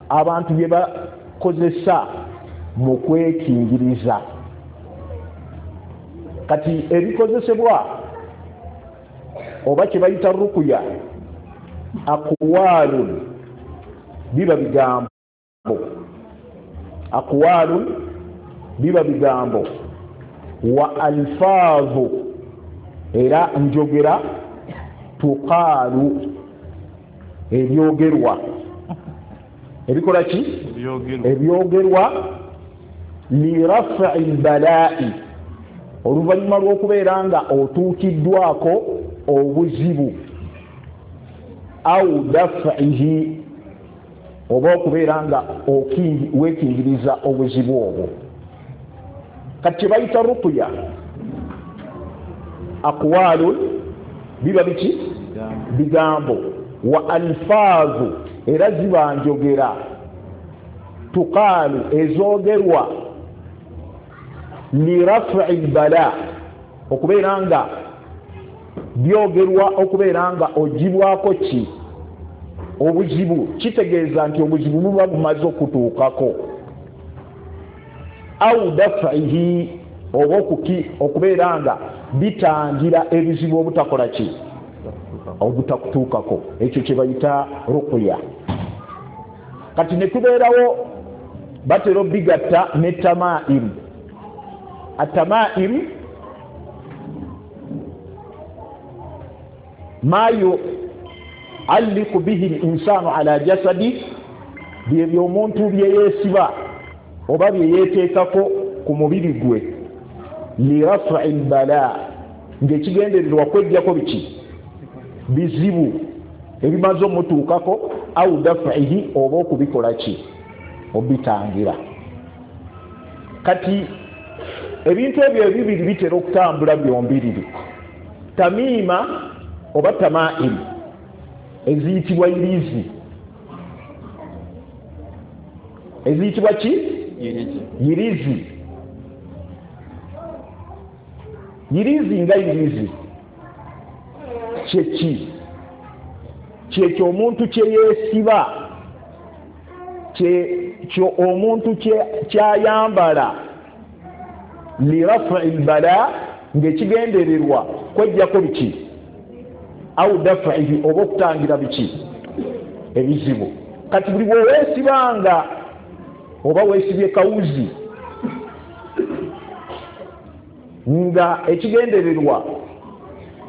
Abantu bye bakozesa mu kwekingiriza. Kati ebikozesebwa oba kye bayita rukuya, aqwalun, biba bigambo. Aqwalun biba bigambo, wa alfaazu era njogera, tuqaalu ebyogerwa, ebikola ki? Ebyogerwa lirafi lbalai, oluvannyuma lw'okubeera nga otuukiddwako obuzibu, au dafihi, oba okubeera nga weekingiriza obuzibu obwo. Kati kye bayita rukuya, aqwalun biba biki? Bigambo, wa alfaazu era ziba njogera, tuqaalu ezoogerwa, lirafi lbala, okubeera nga byogerwa okubeera nga ogibwako ki? Obuzibu. Kitegeeza nti obuzibu buba bumaze okutuukako, au dafihi, oba okubeera nga bitangira ebizibu obutakola ki? Obutakutuukako. Ekyo kye bayita rukuya. Kati ne tubeerawo batera obigatta ne tamaim. Atamaim ma yualliku bihi linsanu ala jasadi, byebyo omuntu byeyeesiba oba byeyeeteekako ku mubiri gwe, lirafi lbala, ng'ekigendererwa kwejjako biki? Bizibu ebimaze omutuukako, au dafihi, oba okubikola ki? Obitangira. Kati ebintu ebyo ebibiri bitera okutambula byombiriri, tamiima oba tamaim eziyitibwa irizi, eziyitibwa ki? Yirizi. Yirizi nga yirizi kyeki? Kyekyo omuntu kyeyeesiba, kyekyo omuntu kyayambala lirafi lbala, ng'ekigendererwa kwejjako biki? Au dafihi, oba okutangira biki? Ebizibu. Kati buli bweweesibanga oba weesibye kawuzi nga ekigendererwa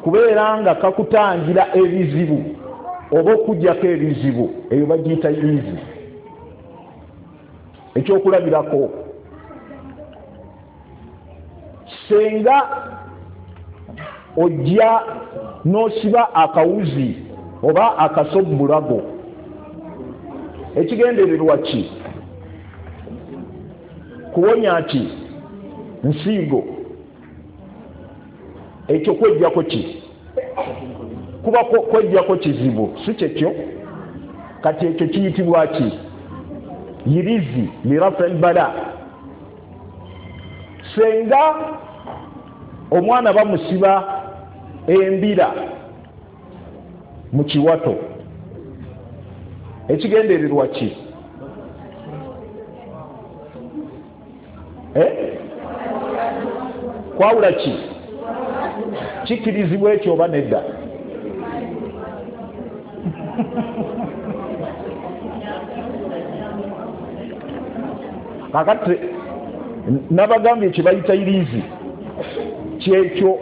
kubeera nga kakutangira ebizibu oba okujjako ebizibu, eyo bagiyita yirizi. Ekyokulabirako, senga ojja n'osiba akawuzi oba akaso mu bulago, ekigendererwa ki? Kuwonya ki? Nsiigo. Ekyo kwejjako ki? Kuba kwejjako kizibu, si kyekyo? Kati ekyo kiyitibwa ki? Yirizi lirafi lbala. Senga omwana bamusiba embira mu kiwato, ekigendererwa ki? Kwawula ki? Kikkirizibwa ekyo oba nedda? Kakati nabagambye kye bayita irizi, kyekyo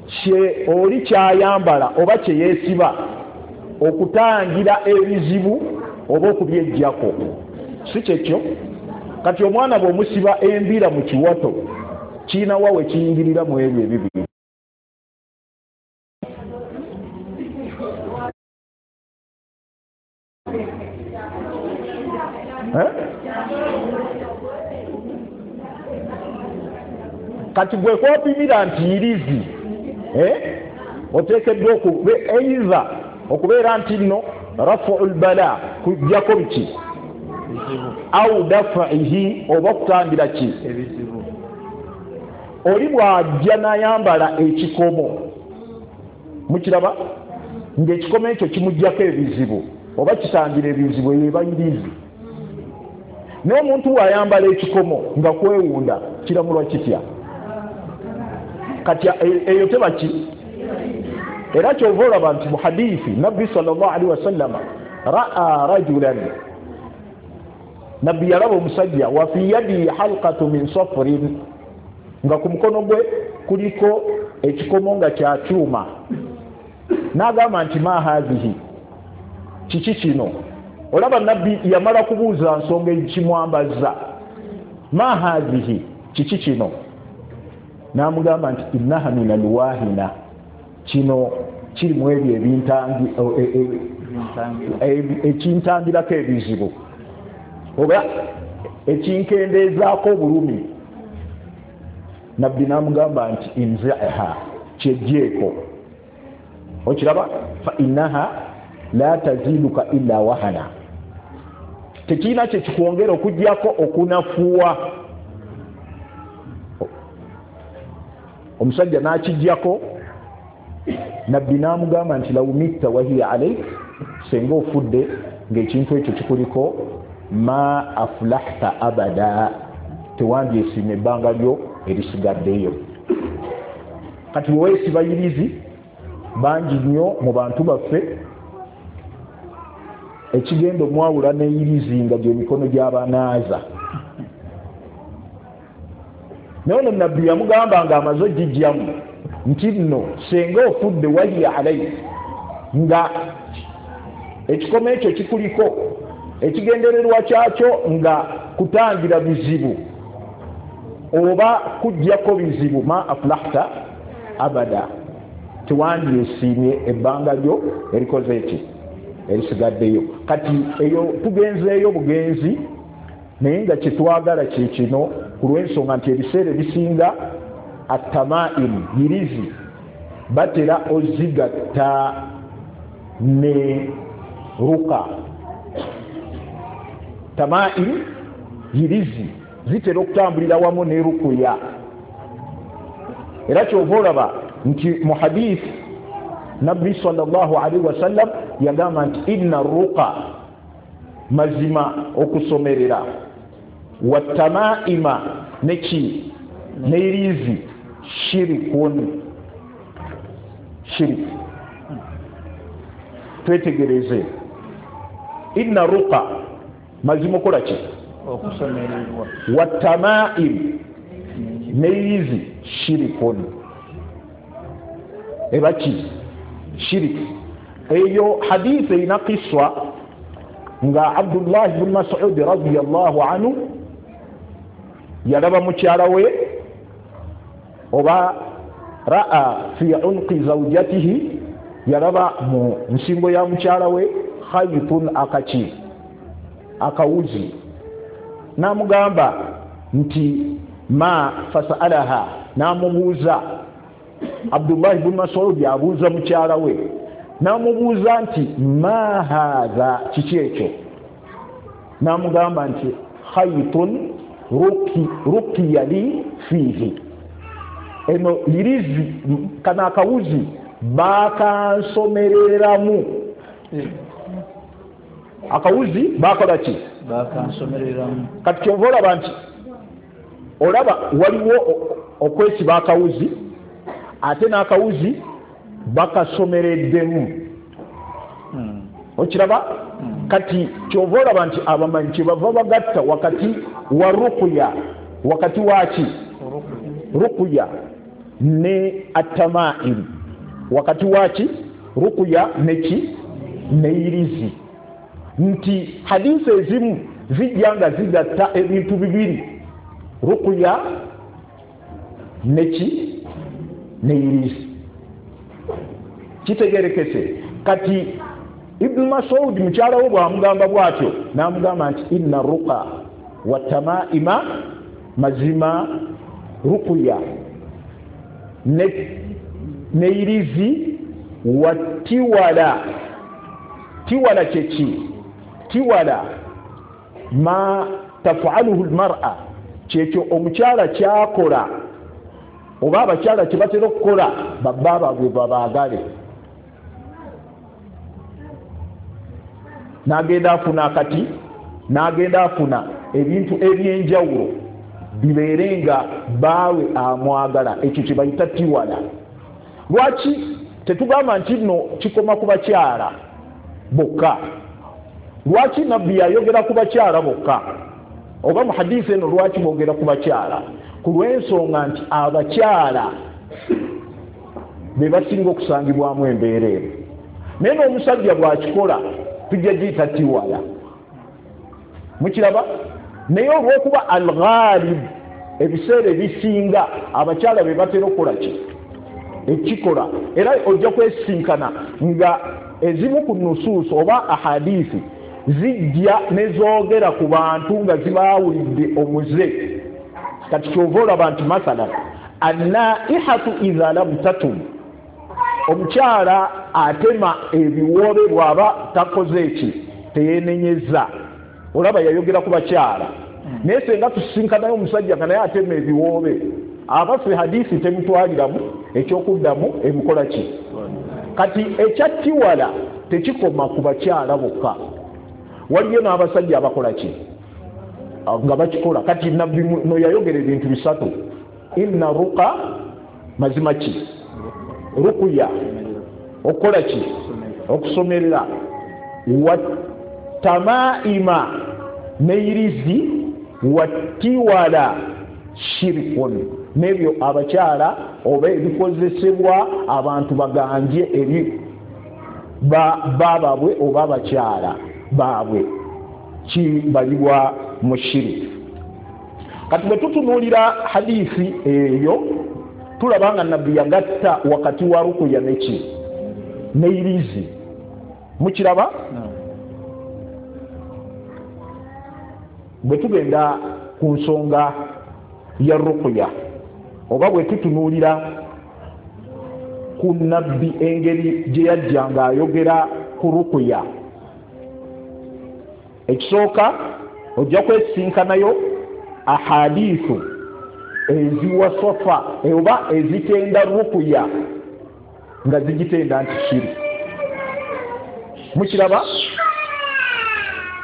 kye oli kyayambala oba kye yeesiba okutangira ebizibu oba okubyejjako, si kyekyo? Kati omwana bw'omusiba embira mu kiwato, kiina wa we kiyingirira mu ebyo ebibiri? Kati gwe kwopimira nti yirizi, oteekeddwa eiza okubeera nti nno rafu lbala, kujjako biki? Au dafihi, oba okutangira ki? Oli bw'ajja n'ayambala ekikomo, mukiraba ng'ekikomo ekyo kimuggyako ebizibu oba kitangira ebizibu, eyo eba yirizi. Naye omuntu bw'ayambala ekikomo nga kwewunda kiramulwa kitya? Kati eyo teba ki? Era kyova olaba nti mu hadithi Nabbi sallallahu alaihi wasallama raa rajulan, Nabbi yalaba omusajja wa fi yadihi halqatu min safrin, nga ku mukono gwe kuliko ekikomo nga kya kyuma. N'agamba nti ma hadhihi, kiki kino? Olaba Nabbi yamala kubuuza nsonga ekimwambaza. Ma hadhihi, kiki kino? N'amugamba nti innaha min alwahina, kino kiri mu ebyo ekintangirako ebizibu oba ekinkendeezaako obulumi. Nabbi n'amugamba nti inziha, kyejjeeko. Okiraba, fa innaha la taziduka illa wahana, tekirina kyekikwongera okuggyako okunafuwa. Omusajja n'akiggyako. Nabbi n'amugamba nti law mitta wahiya alaik, senga ofudde ng'ekintu ekyo kikuliko, ma aflahta abada, tewandyesiima ebbanga lyo erisigaddeyo. Kati weweesiba yirizi bangi nnyo mu bantu baffe, ekigenda omwawula n'eyirizi nga gy'emikono gy'abanaaza. Naye ono Nabbi yamugamba ng'amaze ogijjamu nti nno senga ofudde wahiya alaik, nga ekikomo ekyo kikuliko, ekigendererwa kyakyo nga kutangira bizibu oba kuggyako bizibu, ma aflahta abada, tewandyesiimye ebbanga lyo erikoze eki erisigaddeyo. Kati eyo tugenzeeyo bugenzi, naye nga kyetwagala kye kino, ku lw'ensonga nti ebiseera ebisinga atamaim yirizi batera ozigatta ne ruka. Tamaim yirizi zitera okutambulira wamu ne rukuya. Era kyova olaba nti mu hadith Nabbi sallallahu alaihi wasallam yagamba nti inna ruqa, mazima okusomerera, watamaima neki neirizi, shirikun, shirik. Twetegereze, inna ruqa, mazima okola ki? Okusomererwa. Watamaim neirizi, shirikun, eba ki? Shirik. Eyo hadithi erina kiswa nga Abdullah ibn Mas'ud radiyallahu anhu yalaba mukyala we, oba raa fi unqi zawjatihi, yalaba mu nsingo ya mukyala we khaytun, akaki, akawuzi. N'amugamba nti ma fasalaha, n'amubuuza. Abdullah ibn Mas'ud abuuza mukyala we, n'amubuuza nti ma hadha, kiki ekyo? N'amugamba nti khaytun ruqiya li fihi, eno yirizi, kano akawuzi bakansomereramu. Akawuzi bakola ki? Bakansomereramu. Kati kyova olaba nti olaba waliwo okwesiba akawuzi, ate n'akawuzi bakasomereddemu. Okiraba? Kati kyova olaba nti abamanyi kyebava bagatta wakati wa rukuya, wakati waki? Rukuya ne atamaim, wakati waki? Rukuya neki neirizi. Nti hadisi ezimu zijja nga zigatta ebintu bibiri, rukuya neki neirizi. Kitegerekese. Kati Ibn Mas'ud mukyala we bw'amugamba bw'atyo, n'amugamba nti inna ruqa wa tamaima, mazima rukuya neirizi, wa tiwala. Tiwala kyeki? Tiwala ma tafaluhu almar'a, kyekyo omukyala kyakola oba abakyala kye batera okukola babba baabwe babaagale. N'agenda afuna akati, n'agenda afuna ebintu ebyenjawulo bibeere nga baawe amwagala. Ekyo kye bayita tiwala. Lwaki tetugamba nti nno kikoma ku bakyala bokka? Lwaki nabbi yayogera ku bakyala bokka? Oba mu hadisi eno lwaki boogera ku bakyala? Ku lw'ensonga nti abakyala be basinga okusangibwamu embeera eno. Naye n'omusajja bw'akikola tujja giyita tiwala. Mukiraba? Naye olw'okuba al-ghalib ebiseera ebisinga abakyala be batera okukola ki? Ekikola. Era ojja kwesinkana nga ezimu ku nusuusu oba ahadisi zijja ne zoogera ku bantu nga zibaawulidde omuze. Kati kyova olaba nti mathalan annaihatu idha lam tatum, omukyala atema ebiwoobe bw'aba takoze eki, teyenenyeza. Olaba yayogera ku bakyala. Naye senga tusisinkanayo omusajja nga naye atema ebiwoobe, abaffe hadisi temutwaliramu ekyokuddamu emukola ki? Kati ekyattiwala tekikoma ku bakyala bokka, waliyo n'abasajja abakola ki nga bakikola. Kati nabbi no yayogera ebintu bisatu: inna ruqa, mazima ki? Rukuya, okukola ki? Okusomerera, watamaima neirizi, wattiwala shirikun, n'ebyo abakyala oba ebikozesebwa abantu baganje eri baababwe oba abakyala baabwe kibalibwa mu shiriki. Kati bwe tutunuulira hadisi eyo tulaba nga nabbi yagatta wakati wa rukuya neki neirizi. Mukiraba? Bwe tugenda ku nsonga ya rukuya oba bwe tutunuulira ku nabbi engeri gye yajja ng'ayogera ku rukuya, ekisooka ojja kwesinkanayo ahadithu eziwasofa oba ezitenda rukuya nga zigitenda nti shiriki. Mukiraba?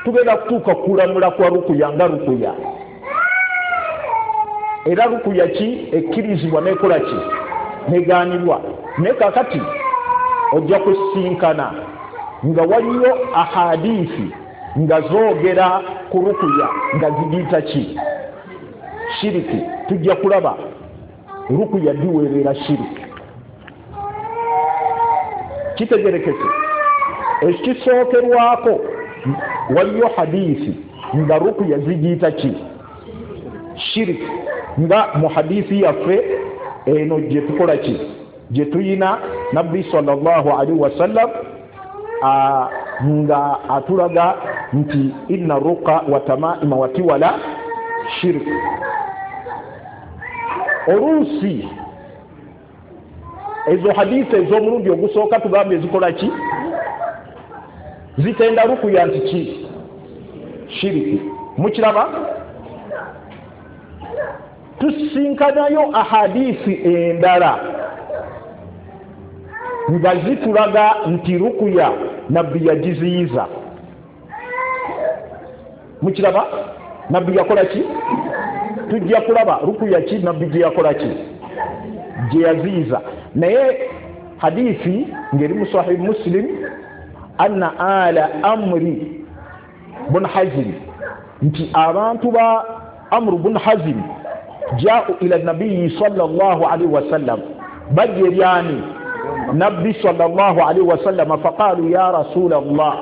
Tugenda kutuuka kulamula kwa rukuya nga rukuya. Era rukuya ki ekkirizibwa nekola ki negaanibwa. Naye kaakati ojja kusinkana nga waliyo ahadithi nga zoogera ku rukuya nga zigiyita ki? Shiriki. Tujja kulaba rukuya diweerera shiriki. Kitegerekese. Ekisookerwako waliyo hadisi nga rukuya zigiyita ki? Shiriki. Nga mu hadisi yaffe eno gye tukola ki? Gye tuyina nabbi sallallahu alaihi wasallam nga atulaga nti inna ruqa wa tamaima wa tiwala shiriki. Oluusi ezo hadisi ez'omulundi ogusooka tugambye zikola ki? Zitenda rukuya nti ki? Shiriki. Mukiraba? Tusinkanayo ahadisi endala nga zitulaga nti rukuya nabbi yagiziyiza. Mukiraba? Nabbi yakola ki? Tujja kulaba rukuya ki nabbi gye yakola ki? Gye yaziyiza. Naye hadisi ng'eri mu Sahih Muslim, anna ala amri bun Hazim, nti abantu ba Amru bun Hazim jau ila nabiyi sallallahu alaihi wasallam, bajja eri ani? Nabbi sallallahu alaihi wasallam, faqalu ya rasul Allah,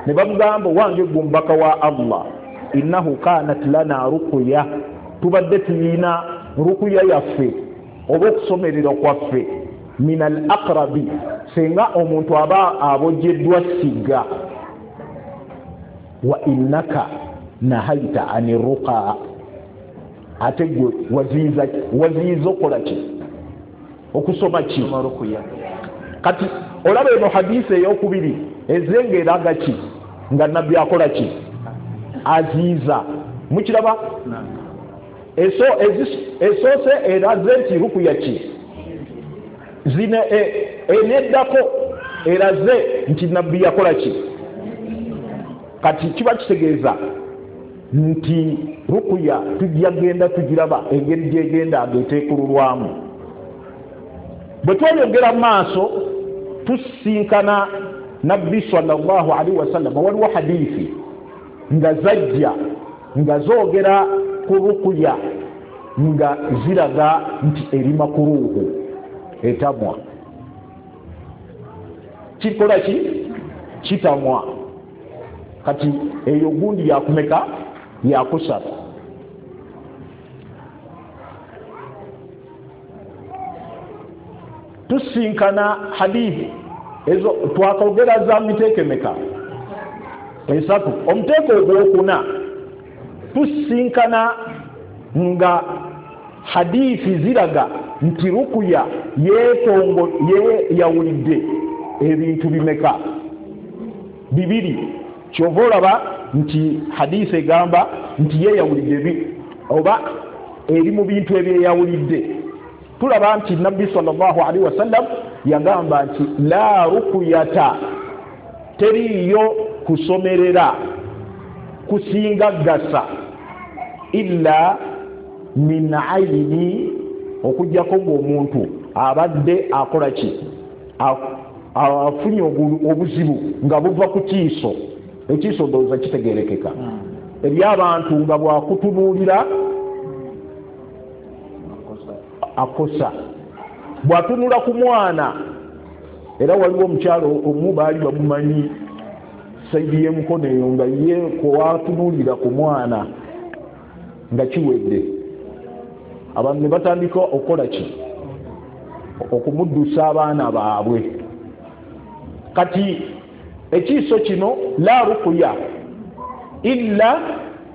ne bamugamba wange gwe omubaka wa Allah, innahu kanat lana ruqya, tubadde tuyina rukuya yaffe oba okusomerera kwaffe, min al aqrabi, singa omuntu aba abojeddwa sigga, wa innaka nahaita ani ruqa, ate gwe waziyiza okukola ki? Okusoma ki? Kati olaba eno hadisi eyokubiri ezenga eraga ki? Nga nabbi akola ki? Aziyiza. Mukiraba? Esoose eraze nti rukuya ki? Zine eneddako eraze nti nabbi yakola ki? Kati kiba kitegeeza Nti rukuya tujja genda tugiraba engeri gyegenda ngeteekululwamu. Bwe tweyongera mu maaso tusinkana Nabbi sallallahu alaihi wasallam, waliwo hadithi nga zajja nga zoogera ku rukuya nga ziraga nti eri makuruhu, etamwa. Kikola ki? Kitamwa. Kati eyo gundi yakumeka? Yakusatu. Tusinkana hadithi ezo twakogera za miteeko emeka? Esatu. Omuteeko ogwokuna tusinkana nga hadithi ziraga nti rukuya yeetongo yeyawulidde ebintu bimeka? Bibiri. Kyova olaba nti hadithi egamba nti yeyawulidde oba eri mu bintu ebyeyawulidde. Tulaba nti Nabbi sallallahu alaihi wasallam yagamba nti la rukuyata, teriyo kusomerera kusinga gasa illa min aini, okujjako ng'omuntu abadde akola ki? Afunye obuzibu nga buva ku kiiso. Ekiiso ndowooza kitegeerekeka. Eri abantu nga bwakutunuulira akosa, bwatunula ku mwana. Era waliwo omukyalo omu baali bamumanyi saidi y'emukono eyo nga ye kwatunuulira ku mwana nga kiwedde, abantu ne batandika okukola ki? Okumuddusa abaana baabwe. Kati ekiiso kino la rukuya illa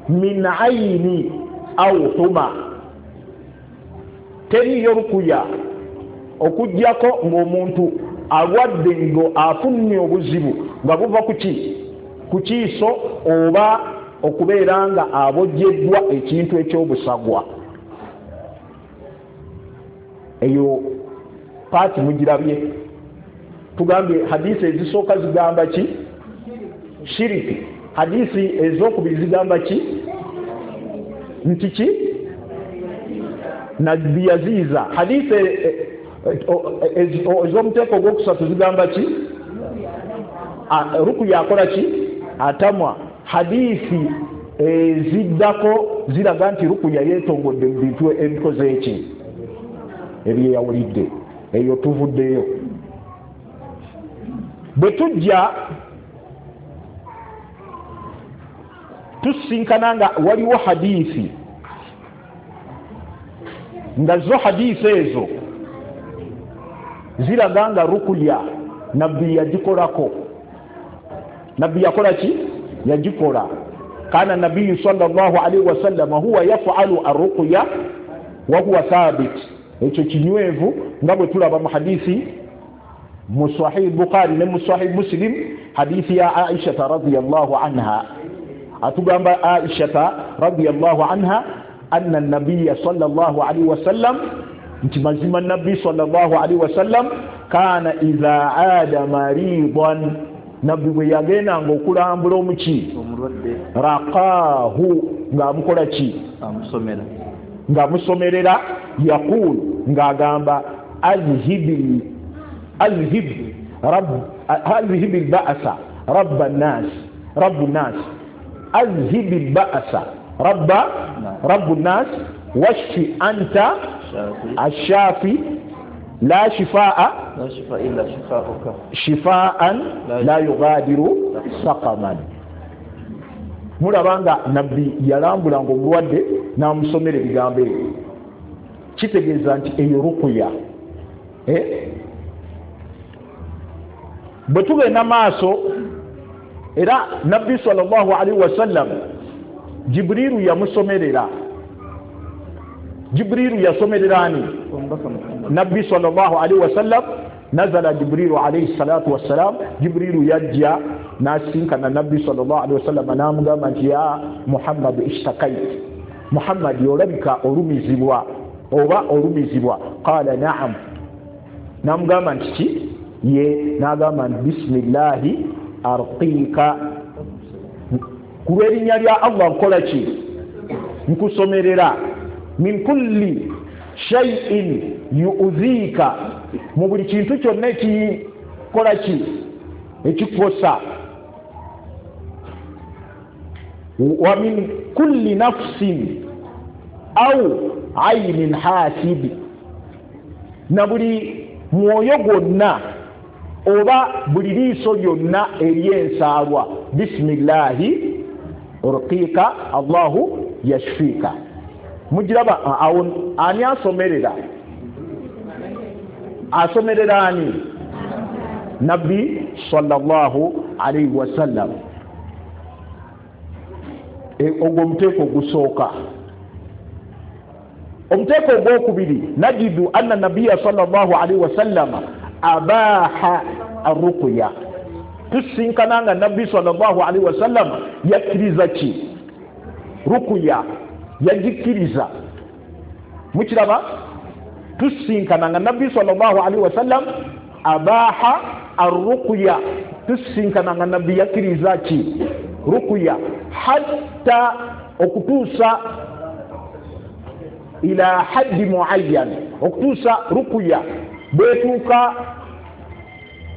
min aini au huma, teriyo rukuya okujjako ng'omuntu alwadde ngo afunye obuzibu nga buva ku ki? Ku kiiso oba okubeera nga abojjeddwa ekintu eky'obusagwa. Eyo paati mugirabye. Tugambye hadisi ezisooka zigamba ki? Shiriki. Hadisi ezokubiri zigamba ki? Nti ki? Nabbi yaziiza. Hadisi ez'omuteeko ogwokusatu zigamba ki? Rukuya akola ki? Atamwa. Hadisi eziddako ziraga nti rukuya yeetongodde mu bintu ebikoze eki? Ebyeyawulidde. Eyo tuvuddeyo. Bwe tujja tusinkana nga waliwo hadithi nga zo hadithi ezo ziraga nga rukuya Nabbi yagikolako. Nabbi yakola ki? Yagikola. Kana Nabbiyu sallallahu alaihi wasallam huwa yafalu arruqya wa huwa thabit. Ekyo kinywevu nga bwe tulaba mu hadithi mu Sahih Bukhari ne mu Sahih Muslim, hadithi ya Aisha radhiyallahu anha. Atugamba Aisha radhiyallahu anha anna an-nabiyya sallallahu alaihi wasallam, nti mazima Nabbi sallallahu alaihi wasallam kana idha aada maridan, Nabbi bwe yagendanga okulambula omuki omulwadde, raqahu, ng'amukola ki? Amusomera. Ng'amusomerera. Yaqulu, ng'agamba azhibi al-ba'sa rabba an-nas, rabbu an-nas, azhibi al-ba'sa rabbu an-nas washfi anta ash-shafi la shifaa illa shifaa'uka shifaan la yughadiru saqaman. Mulaba nga Nabbi yalambulanga omulwadde n'amusomera ebigambo ebyo, kitegeeza nti eyo rukuya. Bwe tugenda maaso, era Nabbi sallallahu alaihi wasallam Jibriiru yamusomerera. Jibriiru yasomerera ani? Nabbi sallallahu alaihi wasallam. Nazala Jibriiru alayhi salatu wassalam, Jibriiru yajja n'asinkana Nabbi sallallahu alaihi wasallam n'amugamba nti ya Muhammad ishtakait, Muhammad olabika olumizibwa oba olumizibwa. Qala na'am, n'amugamba nti ki? Ye. N'agamba nti bismillahi arqika, Ku lw'erinnya lya Allah nkola ki? Nkusomerera. Min kulli shay'in yu'dhika, mu buli kintu kyonna ekikola ki? Ekikosa. Wa min kulli nafsin au aynin hasib, na buli mwoyo gwonna oba buli liiso lyonna ery'ensaalwa. Bismillahi urqika Allahu yashfika. Mugiraba awo ani asomerera? Asomerera ani? Nabbi sallallahu alayhi wasallam. Ogwo omuteeko ogusooka. Omuteeko ogwokubiri, najidu anna nabiyya sallallahu alayhi wasallam abaha arruqya. Tusinkana nga nabbi sallallahu alayhi wasallam yakkiriza ki? Ruqya yagikkiriza. Mukiraba? Tusinkana nga nabbi sallallahu alayhi wasallam abaha arruqya, tusinkana nga nabbi yakkiriza ki? Ruqya, hatta okutuusa ila haddi muayyan, okutuusa ruqya bwetuuka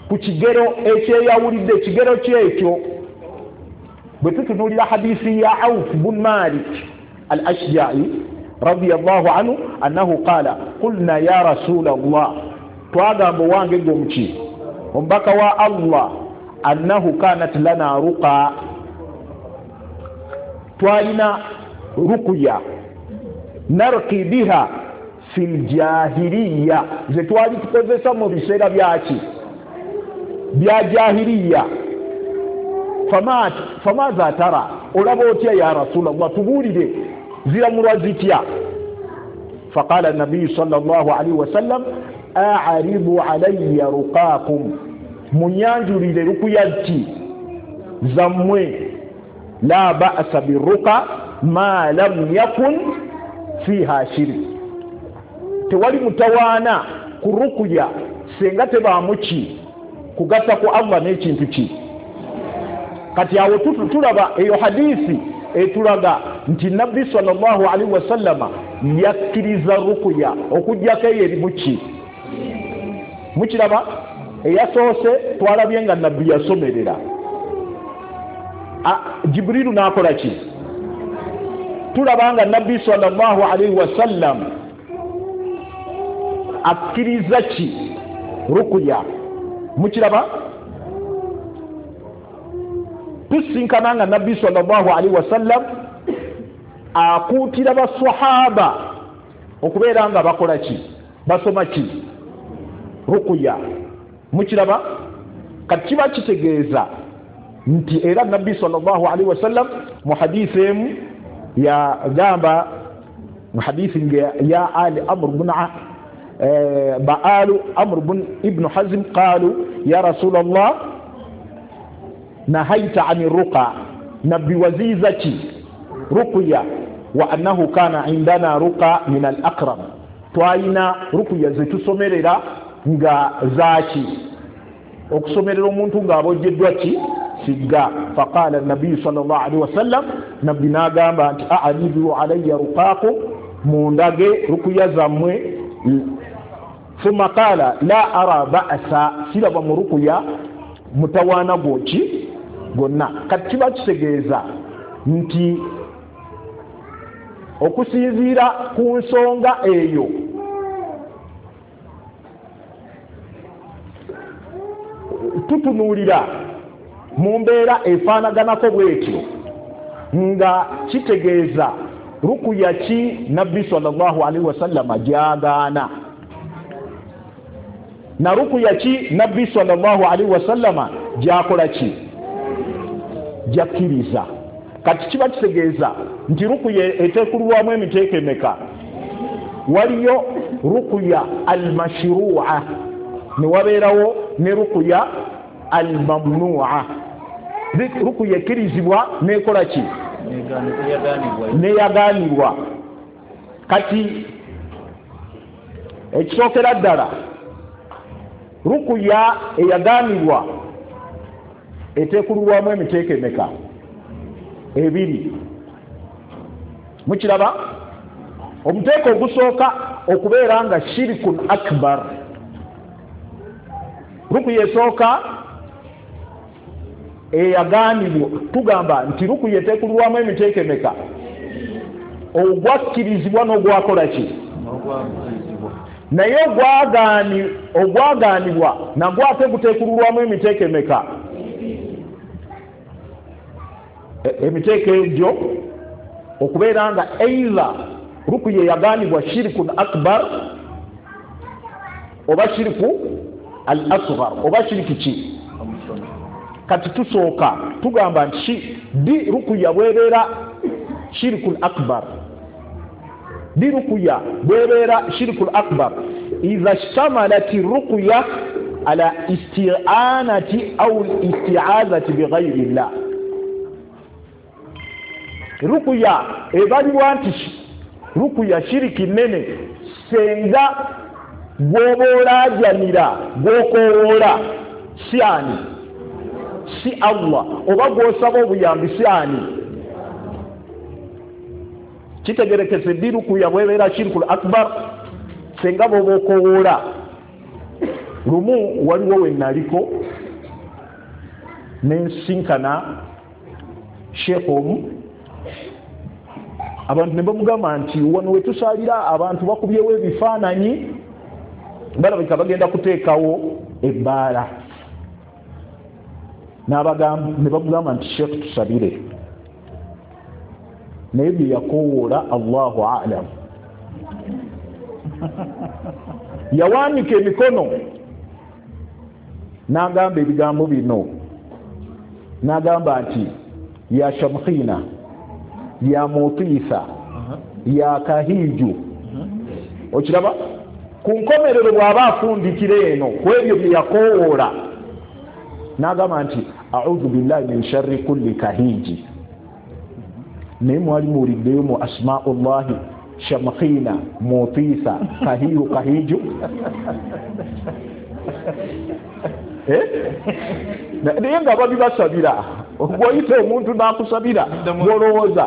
ku kigero ekyeyawulidde. Ekigero kyekyo bwe tutunuulira hadisi ya Auf bun Malik al-Ashja'i radiyallahu anhu annahu qala qulna ya rasul Allah, twagamba owange gwe omuki omubaka wa Allah, annahu kanat lana ruqa, twalina ruqya narqi biha fil jahiliya, ze twali tukozesa mu biseera byaki? Bya jahiliya. Famaza tara, olaba otya ya rasulallah, tubuulire ziramulwa zitya? Faqala nabiyu sallallahu alaihi wasallam a'ridu alayya ruqakum, munyanjulire rukuya ki zammwe. La ba'sa birruqa ma lam yakun fiha shirk, tewali mutawaana ku rukuya senga tebaamu ki kugatta ku Allah n'ekintu ki. Kati awo tulaba eyo hadisi etulaga nti nabbi sallallahu alaihi wasallama yakkiriza rukuya okuggyako eyo erimu ki? Mukiraba? Eyasoose twalabye nga nabbi yasomerera, Jibrilu n'akola ki? Tulaba nga nabbi sallallahu alaihi wasallam akkiriza ki? Rukuya. Mukiraba? Tusinkana nga nabbi sallallahu alaihi wasallam akuutira baswahaba okubeera nga bakola ki? Basoma ki? Rukuya. Mukiraba? Kati kiba kitegeeza nti era nabbi sallallahu alaihi wasallam mu hadisi emu yagamba, mu hadisi ya Ali Amr bin Ba'alu Amr bin Ibn Hazm qalu ya Rasulallah nahaita ani ruqa, nabbi waziza ki? Ruqya. Wa annahu kana indana ruqa min al-aqrab, twalina ruqya zetusomerera nga zaki? Okusomerera omuntu ng'abojjeddwa ki? Sigga. Faqala nabiyu sallallahu alaihi wasallam, nabbi n'agamba nti a'ridu alayya ruqakum, mundage rukuya zammwe. Thumma qala la ara ba'sa, siraba mu rukuya mutawaana gwoki gwonna. Kati kiba kitegeeza nti okusinziira ku nsonga eyo tutunuulira mu mbeera efaanaganako bwetyo nga kitegeeza rukuya ki nabbi sallallahu alaihi wasallama gyagaana, na rukuya ki nabbi sallallahu alaihi wasallama gyakola ki? Gyakkiriza. Kati kiba kitegeeza nti rukuya eteekululwamu emiteeko emeka? Waliyo rukuya almashrua, ne wabeerawo ne rukuya almamnua. Rukuya ekkirizibwa nekola ki? Neyagaanibwa. Kati ekisookera ddala, rukuya eyagaanibwa eteekululwamu emiteeko emeka? Ebiri. Mukiraba? Omuteeko ogusooka okubeera nga shirikun akbar. Rukuya esooka eyagaanibwa, tugamba nti rukuya eteekululwamu emiteeko emeka? Ogwakkirizibwa n'ogwakola ki? Naye ogwagaanibwa nagwo ate guteekululwamu emiteeko emeka? Emiteeko egyo okubeera nga either rukuya eyagaanibwa shirikun akbar oba shiriku al asghar oba shiriki ki. Kati tusooka tugamba nti di rukuya bwebeera shirikul akbar, di rukuya bwebeera shirikul akbar idha shtamalat rukuya ala isti'anati au isti'azati bighayri llah. Rukuya ebalibwa nti rukuya shiriki nene senga gwoba olaajanira gwokowoola si ani? Si Allah, oba gwosaba obuyambi si ani? Kitegerekese ddi rukuya bwebeera shirikul akbar senga bwoba okowoola. Lumu waliwo we naliko nensinkana sheekh omu, abantu ne bamugamba nti wano we tusaalira abantu bakubyewo ebifaananyi, balabika bagenda kuteekawo ebbaala. Ne bamugamba nti sheekh tusabire, naye bye yakowoola Allahu a'lam. Yawanika emikono n'agamba ebigambo bino, n'agamba nti ya shamkhina ya mutiisa ya kahiju. Okiraba ku nkomerero bw'aba afundikira eno ku ebyo bye yakowoola n'agamba nti a'udhu billahi min sharri kulli kahiji. Naye mwali muwuliddeyo mu asmaullahi shamkhina mutiisa kahiyu kahiju? Naye nga babibasabira, bw'oyita omuntu n'akusabira gw'olowooza.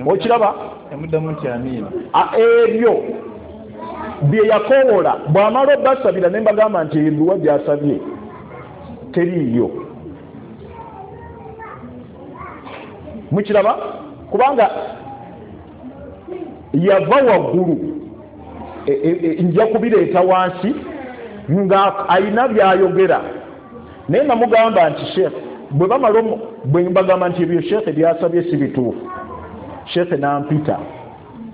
Okiraba ebyo bye yakowoola bw'amala obbasabira ne mbagamba nti edduwa gy'asabye teriiyo. Mukiraba? Kubanga yava waggulu, nja kubireeta wansi nga ayina byayogera. Naye namugamba nti sheekh bwe bamala bwe mbagamba nti ebyo sheekh byasabye si bituufu, sheekh n'ampita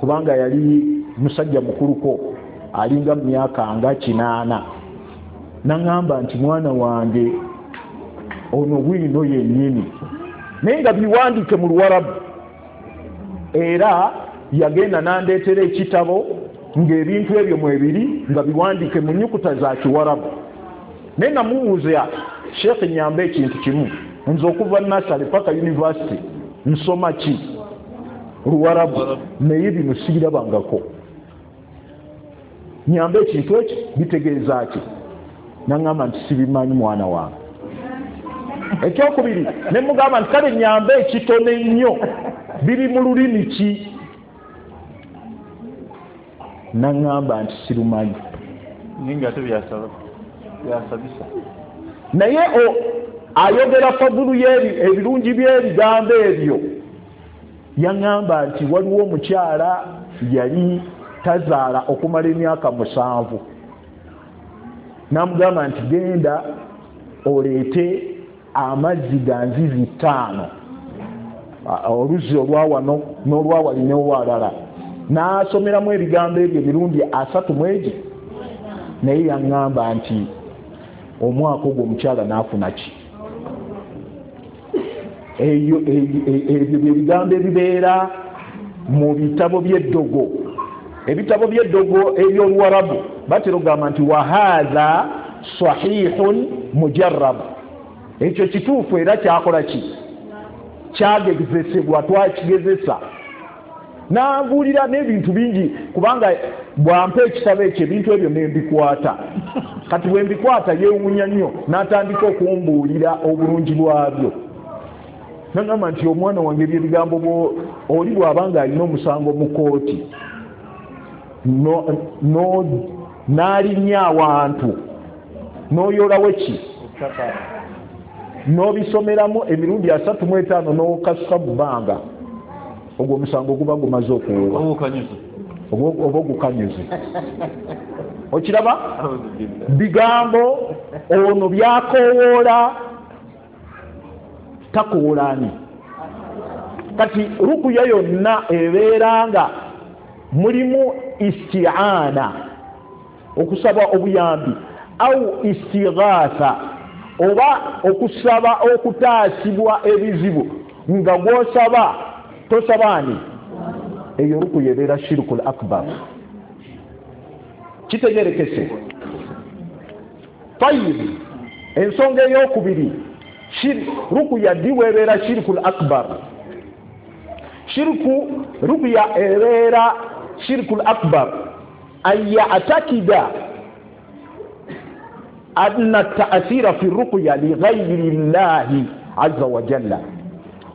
kubanga yali musajja mukuluko alinga mu myaka nga 80, n'aŋŋamba nti mwana wange ono bwino yennyini, naye nga biwandiike mu Luwarabu. Era yagenda n'andeetera ekitabo ng'ebintu ebyo mwebiri nga biwandiike mu nnyukuta za Kiwarabu. Naye namubuuza sheekh nyamba ekintu kimu, nze okuva nasale paka university nsoma ki? Luwarabu, naye bino sibirabangako, nyamba ekintu ekyo bitegeeza ki? N'aŋŋamba nti sibimanyi mwana wange. Ekyokubiri ne mugamba nti kale nyamba ekitono ennyo biri mu lulimi ki? N'aŋŋamba nti sirumanyi. Naye ayogera fadulu ebirungi by'ebigambo ebyo. Yaŋŋamba nti waliwo omukyala yali tazaala okumala emyaka 7, n'amugamba nti genda oleete amazzi ga nzizi 5, oluzzi olwa wano n'olwawali n'olwalala, n'asomeramu ebigambo ebyo emirundi 30. Naye yaŋŋamba nti omwaka ogwo omukyala n'afuna ki? Ebyo byebigambo ebibeera mu bitabo by'eddogo. Ebitabo by'eddogo eby'Oluwarabu batera okugamba nti wahaadha sahihun mujarrab, ekyo kituufu era kyakola ki? Kyagezesebwa, twakigezesa. Nanbuulira n'ebintu bingi kubanga bwampa ekitabo ekyo ebintu ebyo nembikwata. Kati bwe mbikwata yeewuunya nnyo n'atandika okumbuulira obulungi bwabyo. Nagamba nti omwana wange ebyebigambo oli bw'abanga alina omusango mu kooti n'alinnya awantu n'oyolawo ki n'obisomeramu emirundi 35 n'okasuka mu bbanga, ogwo omusango guba gumaze okuwuba oba ogukanyuze. Okiraba bigambo ono byakowoola takowoolaani. Kati rukuya yonna ebeera nga mulimu isti'ana, okusaba obuyambi, au istighatha, oba okusaba okutaasibwa ebizibu nga gw'osaba tosabaani, eyo rukuya ebeera shirkul akbar. Kitegerekese. Tayib, ensonga eyokubiri, rukuya ddi weebeera shirkul akbar? Shirku rukuya ebeera shirkul akbar an ya'takida anna ta'athira fi ruqya li ghayri llahi azza wa jalla,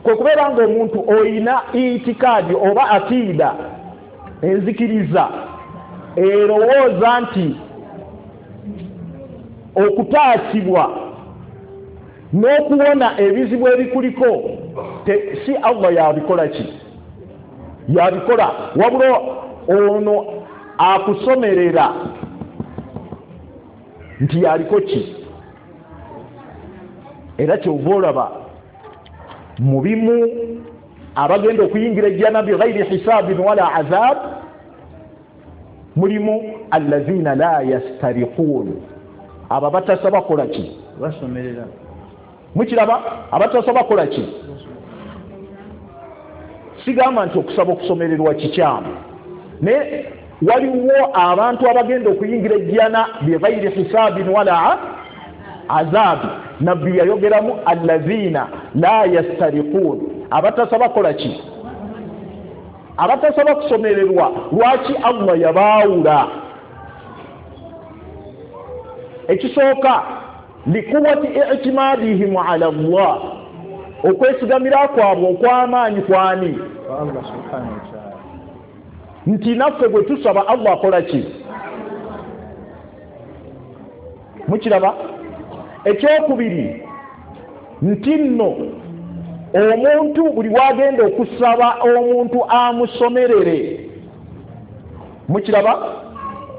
kwe kubeera ng'omuntu oyina itikaadi oba akiida, enzikiriza erowooza nti okutaasibwa n'okuwona ebizibu ebikuliko si Allah yabikola ki yabikola, wabula ono akusomerera nti yaliko ki. Era kyova olaba mu bimu abagenda okuyingira ejjana bighairi hisabin wala azab mulimu allazina la yastariqun, abo batasaba kola ki, basomerera. Mukiraba, abatasaba kola ki. Sigamba nti okusaba okusomererwa kikyamu, naye waliwo abantu abagenda okuyingira ejjana bighairi hisabin wala azab. Nabbi yayogeramu allazina la yastariqun, abatasaba kola ki, abatasaba kusomererwa. Lwaki Allah yabaawula? Ekisooka, likuwati i'timadihim ala Allah, okwesigamira kwabwe okw'amaanyi kwani Allah subhanahu wa ta'ala, nti naffe bwe tusaba Allah akola ki. Mukiraba. Ekyokubiri, nti nno omuntu buli wagenda okusaba omuntu amusomerere, mukiraba,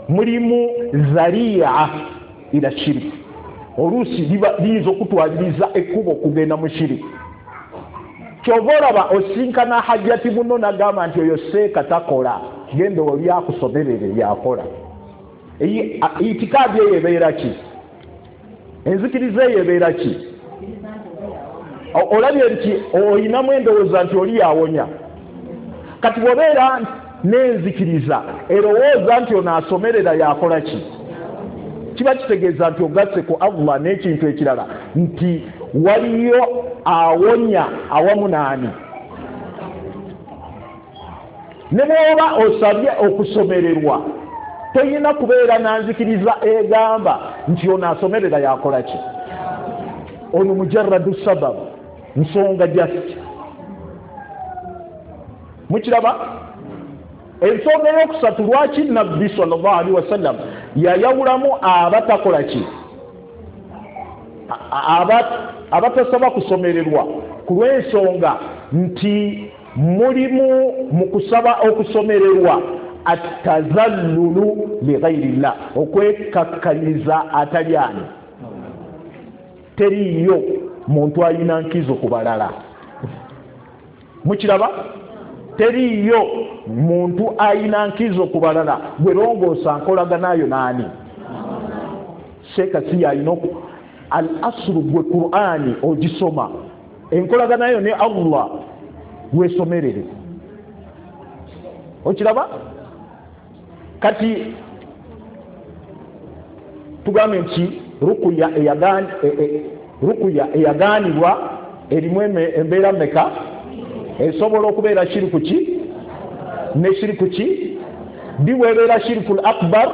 mulimu zaria ila shiriki, oluusi liyinza okutwaliriza ekkubo okugenda mu shiriki. Kyova olaba osinkana hajjati muno nagamba nti oyo seeka takola, genda oli akusomerere yakola. Itikaadi eyo ebeera ki? Enzikiriza eyo ebeera ki? Olabye nti oyinamu endowooza nti oli yawonya. Kati bw'obeera n'enzikiriza erowooza nti ono asomerera yakola ki, kiba kitegeeza nti ogasse ku Allah n'ekintu ekirala, nti waliyo awonya awamu naani. Ne bw'oba osabye okusomererwa toyina kubeera nanzikiriza egamba nti ono asomerera yakola ki. Ono mujarradu sababu, nsonga just. Mukiraba. Ensonga eyokusatu, lwaki Nabbi sallallahu alaihi wasallam yayawulamu abatakola ki, abatasaba kusomererwa, ku lw'ensonga nti mulimu mu kusaba okusomererwa atazallulu lighairillah, okwekakkaliza atali ani. Teriiyo muntu alina nkizo ku balala. Mukiraba, teriiyo muntu alina nkizo ku balala. Gwe longoosa nkolaganayo naani? Seeka si yalina al aslu, gwe Qur'ani ogisoma, enkolaganayo ne Allah weesomerere. Okiraba. Kati tugambe nti rukuya eyagaanibwa erimu embeera mmeka? Esobola okubeera shiriku ki ne shiriku ki? Ddi weebeera shirikul akbar?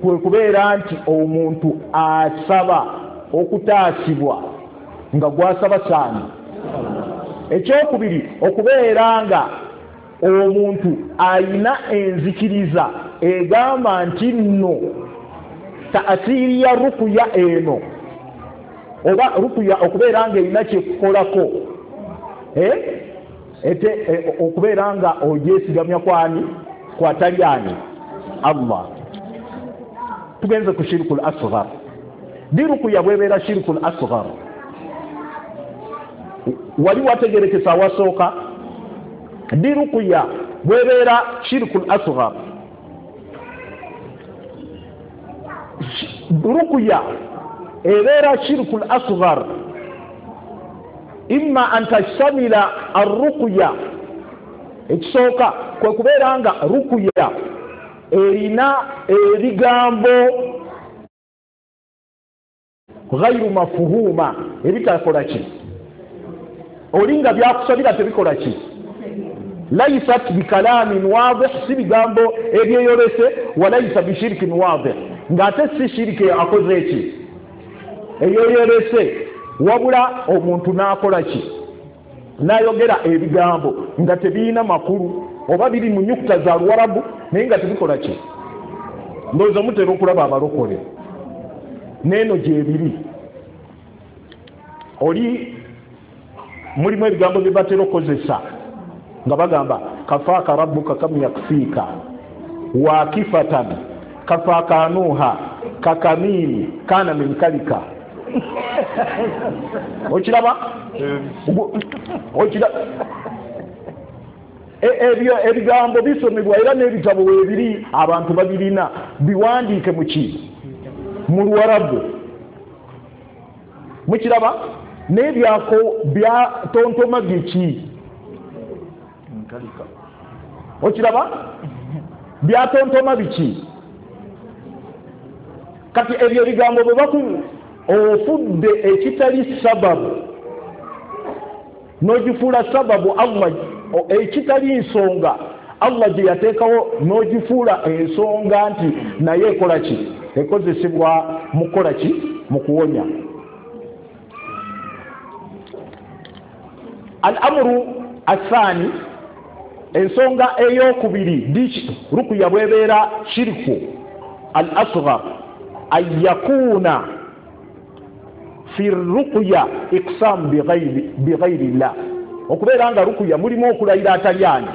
Kwe kubeera nti omuntu asaba okutaasibwa nga gwasaba saani. Ekyokubiri, okubeera nga omuntu ayina enzikiriza egamba nti nno taasiri ya rukuya eno oba rukuya okubeera nga erina kyekukolako, ete okubeera nga ogyesigamya kwani kwatali ani Allah. Tugenze ku shirikul asghar. Di rukuya bwebeera shirikul asghar wali wategerekesa awasooka. Di rukuya bwebeera shirikul asghar, rukuya ebeera shirikul asghar imma an tashtamila arruqya. Ekisooka kwe kubeera nga rukuya erina ebigambo ghairu mafuhuma, ebitakola ki, olinga byakusabira tebikola ki, laisat bikalamin wadih, si bigambo ebyeyolese, walaisa bishirkin wadih, ng'ate si shiriki akoze eki eyeyolese, wabula omuntu n'akola ki, n'ayogera ebigambo nga tebirina makulu oba biri mu nyukuta za Luwarabu naye nga tebikola ki. Ndowooza mutera okulaba abalokole n'eno gyebiri, oli mulimu ebigambo bye batera okukozesa nga bagamba kafaaka rabbuka kam yakfiika wakifatan kafaakanuha kakamini kana min kalika. Okiraba? Ebyo ebigambo bisomebwa era n'ebitabo weebiri abantu babirina, biwandiike mu ki, mu Luwarabu. Mukiraba? N'ebyako byatontoma biki? Okiraba? Byatontoma biki? Kati ebyo ebigambo bwe baku ofudde ekitali sababu n'ogifuula sababu Allah, ekitali nsonga Allah gye yateekawo n'ogifuula ensonga nti naye ekola ki, ekozesebwa mu kukola ki, mu kuwonya. Al-amru athani, ensonga eyokubiri rukuya bwebeera shirku al-asghar, an yakuna fi ruqya iqsam bighayri llah, okubeera nga rukuya mulimu okulayira atali ani,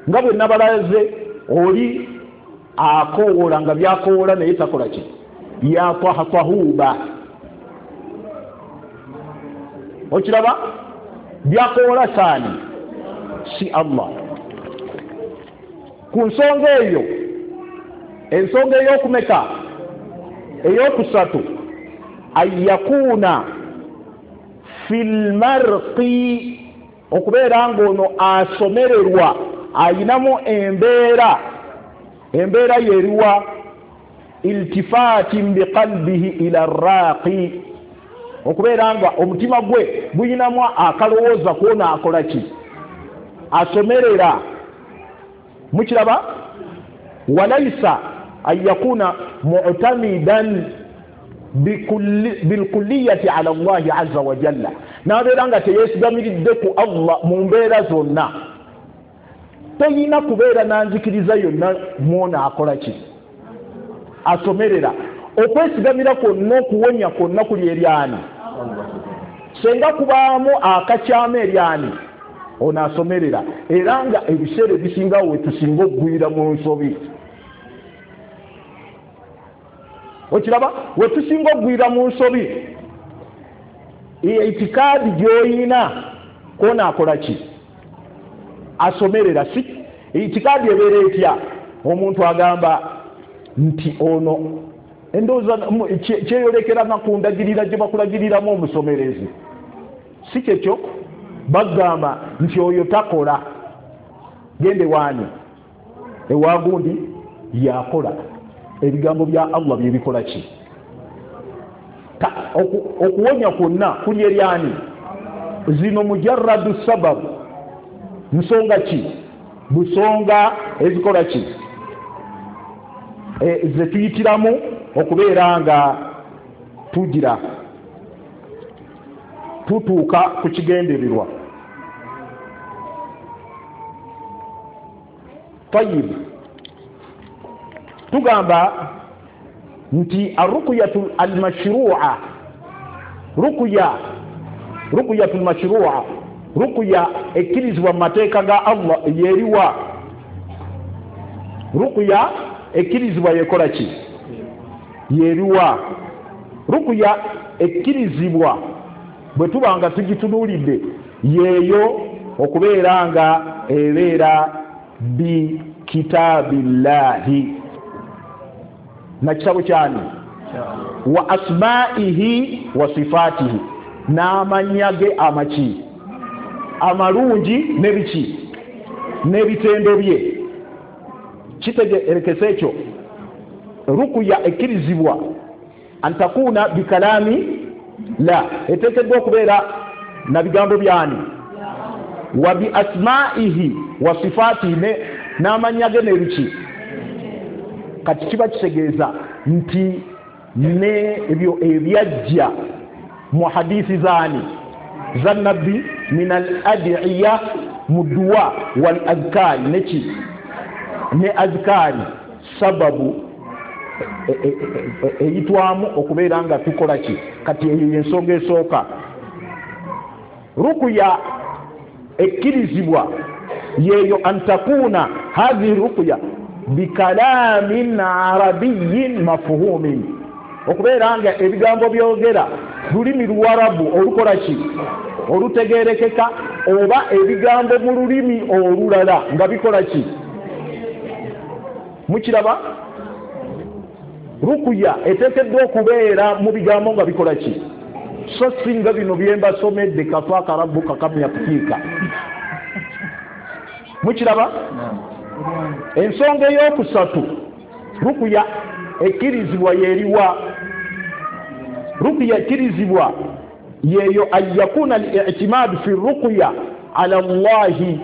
nga bwe nabalaze oli akowoola nga byakowoola naye takola ki, yatahatahuba. Okiraba? Byakowoola saani si Allah. Ku nsonga eyo, ensonga eyokumeka, eyokusatu, an yakuna fil marqi, okubeera ng'ono asomererwa ayinamu embeera, embeera yeriwa iltifatin biqalbihi ila raqi, okubeera nga omutima gwe guyinamu akalowooza kwona akola ki, asomerera. Mukiraba? Walaisa an yakuna mu'tamidan bilkulliyati ala Allahi azza wa jalla, n'abeera nga teyeesigamiridde ku Allah mu mbeera zonna. Toyina kubeera nanzikiriza yonna mwona akola ki, asomerera. Okwesigamira kwonna okuwonya kwonna kuli eryani, senga kubaamu akakyama eryani ono asomerera. Era nga ebiseera ebisingawo wetusinga okugwira mu nsobi. Okiraba? Wetusinga okugwira mu nsobi, itikaadi gy'oyina kwona akola ki, asomerera. Si itikaadi ebeera etya? Omuntu agamba nti ono endowooza kyeyolekera ku ndagirira gye bakulagiriramu omusomerezi, si kyekyo? Bagamba nti oyo takola, gende waani ewagundi yakola. Ebigambo bya Allah byebikola ki? Okuwonya kwonna kuli eryani? Zino mujarradu sababu, nsonga ki, busonga ezikola ki, zetuyitiramu okubeera nga tugira. Tutuuka ku kigendererwa. Tayib, tugamba nti arukuyatu almashrua, rukuyatu almashrua, rukuya ekkirizibwa mu mateeka ga Allah yeriwa? Rukuya ekkirizibwa yekola ki? Yeriwa? Rukuya ekkirizibwa bwe tuba nga tugitunuulidde yeeyo okubeera nga ebeera bi kitabillahi, na kitabo kyani, wa asma'ihi wa sifatihi, n'amannya ge amaki amalungi n'ebiki n'ebitendo bye. Kitegeerekese ekyo. Rukuya ekkirizibwa antakuna bikalami la, eteekeddwa okubeera na bigambo byani, wa bi asma'ihi wa sifatihi, n'amannya ge n'ebiki. Kati kiba kitegeeza nti n'ebyo ebyajja mu hadithi zaani za nabbi min al adiya mu duwa wal adhkari, neki ne adhkari, sababu eyitwamu okubeera nga tukola ki. Kati eyo yensonga esooka. Rukuya ekkirizibwa yeeyo antakuna hadhihi rukuya bikalamin arabiyin mafuhumin, okubeera nga ebigambo byogera lulimi luwarabu olukola ki, olutegerekeka, oba ebigambo mu lulimi olulala nga bikola ki. Mukiraba? Rukuya eteekeddwa okubeera mu bigambo nga bikola ki, so singa bino byembasomedde kafaaka rabbuka kam yakufiika. Mukiraba? Ensonga eyokusatu, rukuya ekkirizibwa yeriwa? Rukuya ekkirizibwa yeyo an yakuna al-i'timadu fi rukuya ala Allahi,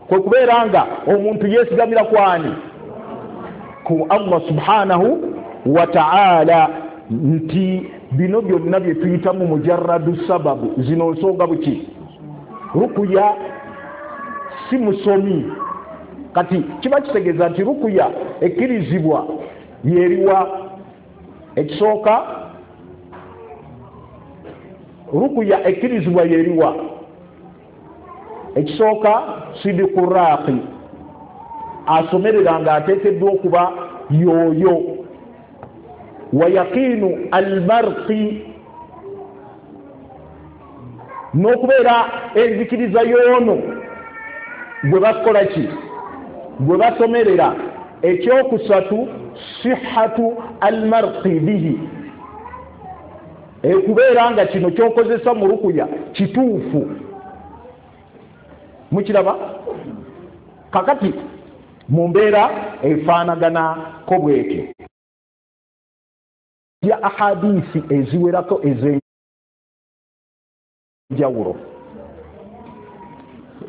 kwe kubeera nga omuntu yeesigamira kwani? Ku Allah subhanahu wa ta'ala. Nti bino byonna bye tuyitamu mujarradu sababu, zino nsonga buki. Rukuya si musomi. Kati kiba kitegeeza nti rukuya ekkirizibwa yeriwa? Ekisooka, rukuya ekkirizibwa yeriwa? Ekisooka, sidiku raqi, asomerera nga ateekeddwa okuba yoyo. Wa yaqinu almarqi, n'okubeera enzikiriza y'ono gwe bakola ki, gwe basomerera. Ekyokusatu, sihhatu almarqi bihi, ekubeera nga kino kyokozesa mu rukuya kituufu. Mukiraba? Kakati mu mbeera efaanaganako bwetyo ya ahadisi eziwerako ez'enjawulo.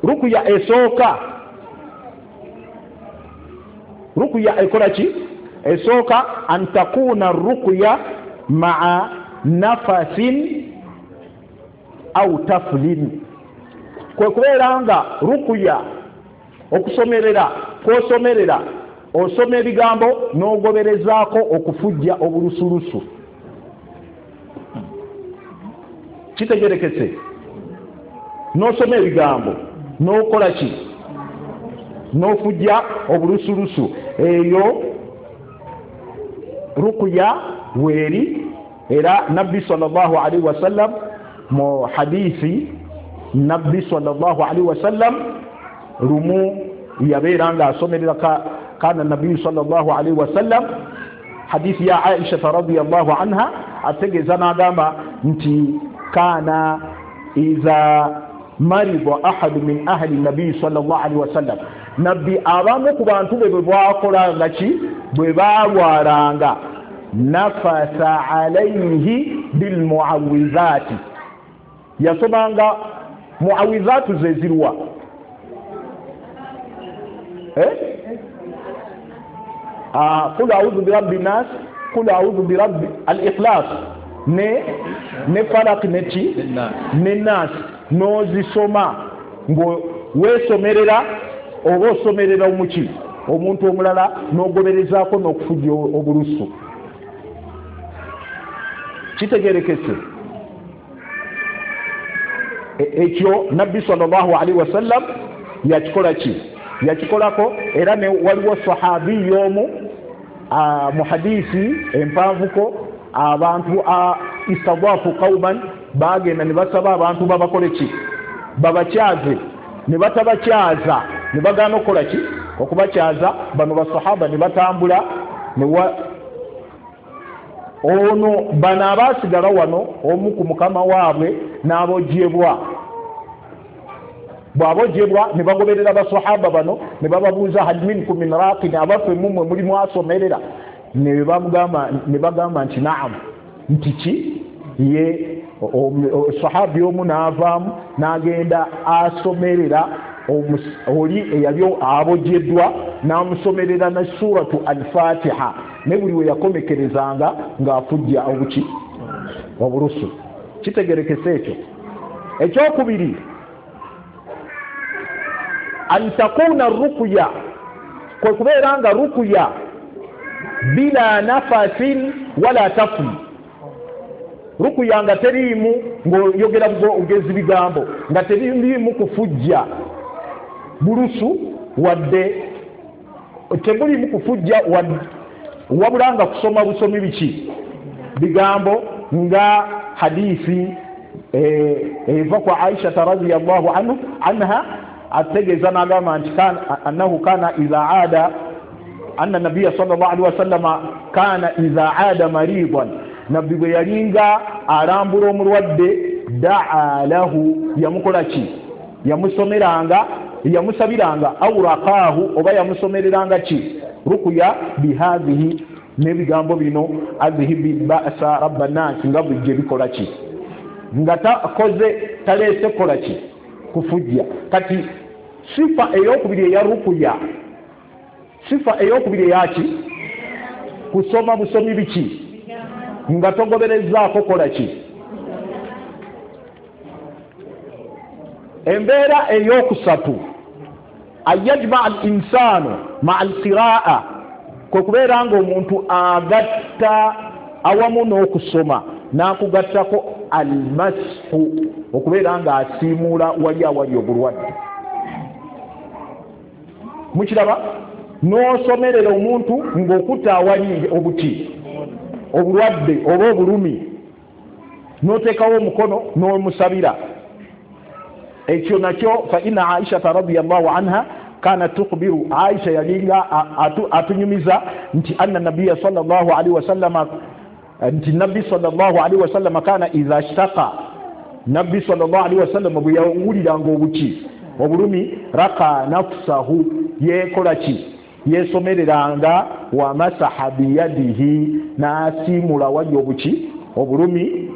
Rukuya esooka, rukuya ekola ki? Esooka antakuna rukuya maa nafasin au taflin, kwe kubeera nga rukuya okusomerera kwosomerera osoma ebigambo n'ogoberezaako okufujja obulusulusu. Kitegerekese? N'osoma ebigambo n'okola ki, n'ofujja obulusulusu. Eyo rukuya weeri. Era nabbi sallallahu alaihi wasallam mu hadithi, nabbi sallallahu alaihi wasallam lumu yabeera nga asomerera kana nabbi sallallahu alaihi wasallam, hadithi ya Aisha radhiyallahu anha, ategeeza n'agamba nti kana iza marida ahadu min ahli nabi sallallahu alaihi wasallam, nabbi abamu ku bantu be bwe bwakolanga ki, bwe baalwalanga, nafasa alaihi bilmuawizati, yasomanga muawizatu ze ziruwa? Qul a'udhu birabbi nas, qul a'udhu birabbi al-ikhlas, Ne Falak neki ne Nasi, n'ozisoma ng'weesomerera oba osomerera omuki omuntu omulala, n'ogoberezaako n'okufujja obulusu. Kitegerekese ekyo Nabbi sallallahu alaihi wasallam yakikola ki? Yakikolako. Era ne waliwo sahabi y'omu mu hadisi empanvuko, abantu istadafu qauman, bagenda ne basaba abantu babakole ki? Babakyaze. Ne batabakyaza, ne bagaana okukola ki? Okubakyaza. Bano basahaba ne batambula ono bano abaasigala wano, omu ku mukama waabwe n'abojjebwa. Bw'abojjebwa ne bagoberera basahaba bano ne bababuuza, hal minkum min raqin, abaffe mumwe mulimu asomerera? Ne bagamba nti naam, nti ki? Ye sahabi omu n'avaamu n'agenda asomerera oli eyali abojjeddwa, n'amusomerera ne suratu al-Fatiha, ne buli we yakomekerezanga ng'afujja obuki? Obulusu. Kitegerekese ekyo. Ekyokubiri, an takuna ruqya, kwe kubeera nga ruqya bila nafasin wala tafn. Ruqya nga teriimu ng'oyogera ogezi bigambo, nga teriimu kufujja bulusu wadde tebuliimu kufujja wabula nga kusoma busomi biki? Bigambo. Nga hadisi eva kwa Aisha radhiyallahu anha ategeeza n'agamba nti annahu kana idha aada, anna nabiyya sallallahu alaihi wasallam kana idha aada maridan, nabbi bwe yalinga alambula omulwadde, daa lahu, yamukola ki? Yamusomeranga, yamusabiranga, au raqahu, oba yamusomereranga ki? Ruqya bihadhihi, n'ebigambo bino, adhibi ba'sa rabban nas, nga bujje bikola ki? Nga takoze taleese kola ki? Kufujja. Kati sifa eyokubiri eya ruqya, sifa eyokubiri eyaki? Kusoma busomi biki? Nga togoberezaako kola ki? Embeera eyokusatu, ayajma al insanu ma al qiraa, kwe kubeera nga omuntu agatta awamu n'okusoma n'akugattako almashu, okubeera nga asiimuula wali awali obulwadde. Mukiraba? N'osomerera omuntu ng'okutta awali obuti obulwadde oba obulumi, n'oteekawo omukono n'omusabira. Ekyo nakyo fa inna Aisha radhiyallahu anha kanat tukhbiru, Aisha yalinga atunyumiza nti anna nabiyya sallallahu alaihi wasallam, nti nabbi sallallahu alaihi wasallam kana idha ishtaka, nabbi sallallahu alaihi wasallam bwe yawuliranga obuki obulumi, raka nafsahu, yekola ki? Yesomereranga, wa masaha biyadihi, n'asiimula wali obuki obulumi,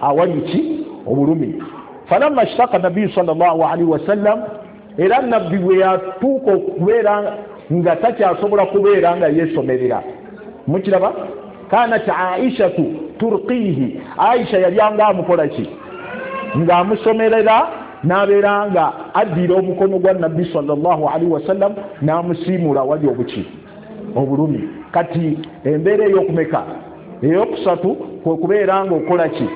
awali ki? Obulumi. Falamma ishtaka nabbi sallallahu alaihi wasallam, era nabbi bwe yatuuka okubeera nga takyasobola kubeera nga yeesomerera. Mukiraba? Kanat Aishatu turqihi, Aisha yalyanga amukola ki? Ng'amusomerera, n'abeera nga addira omukono gwa nabbi sallallahu alaihi wasallam n'amusiimula wali obuki? Obulumi. Kati embeera ey'okumeka? Eyokusatu, kwe kubeera nga okola ki?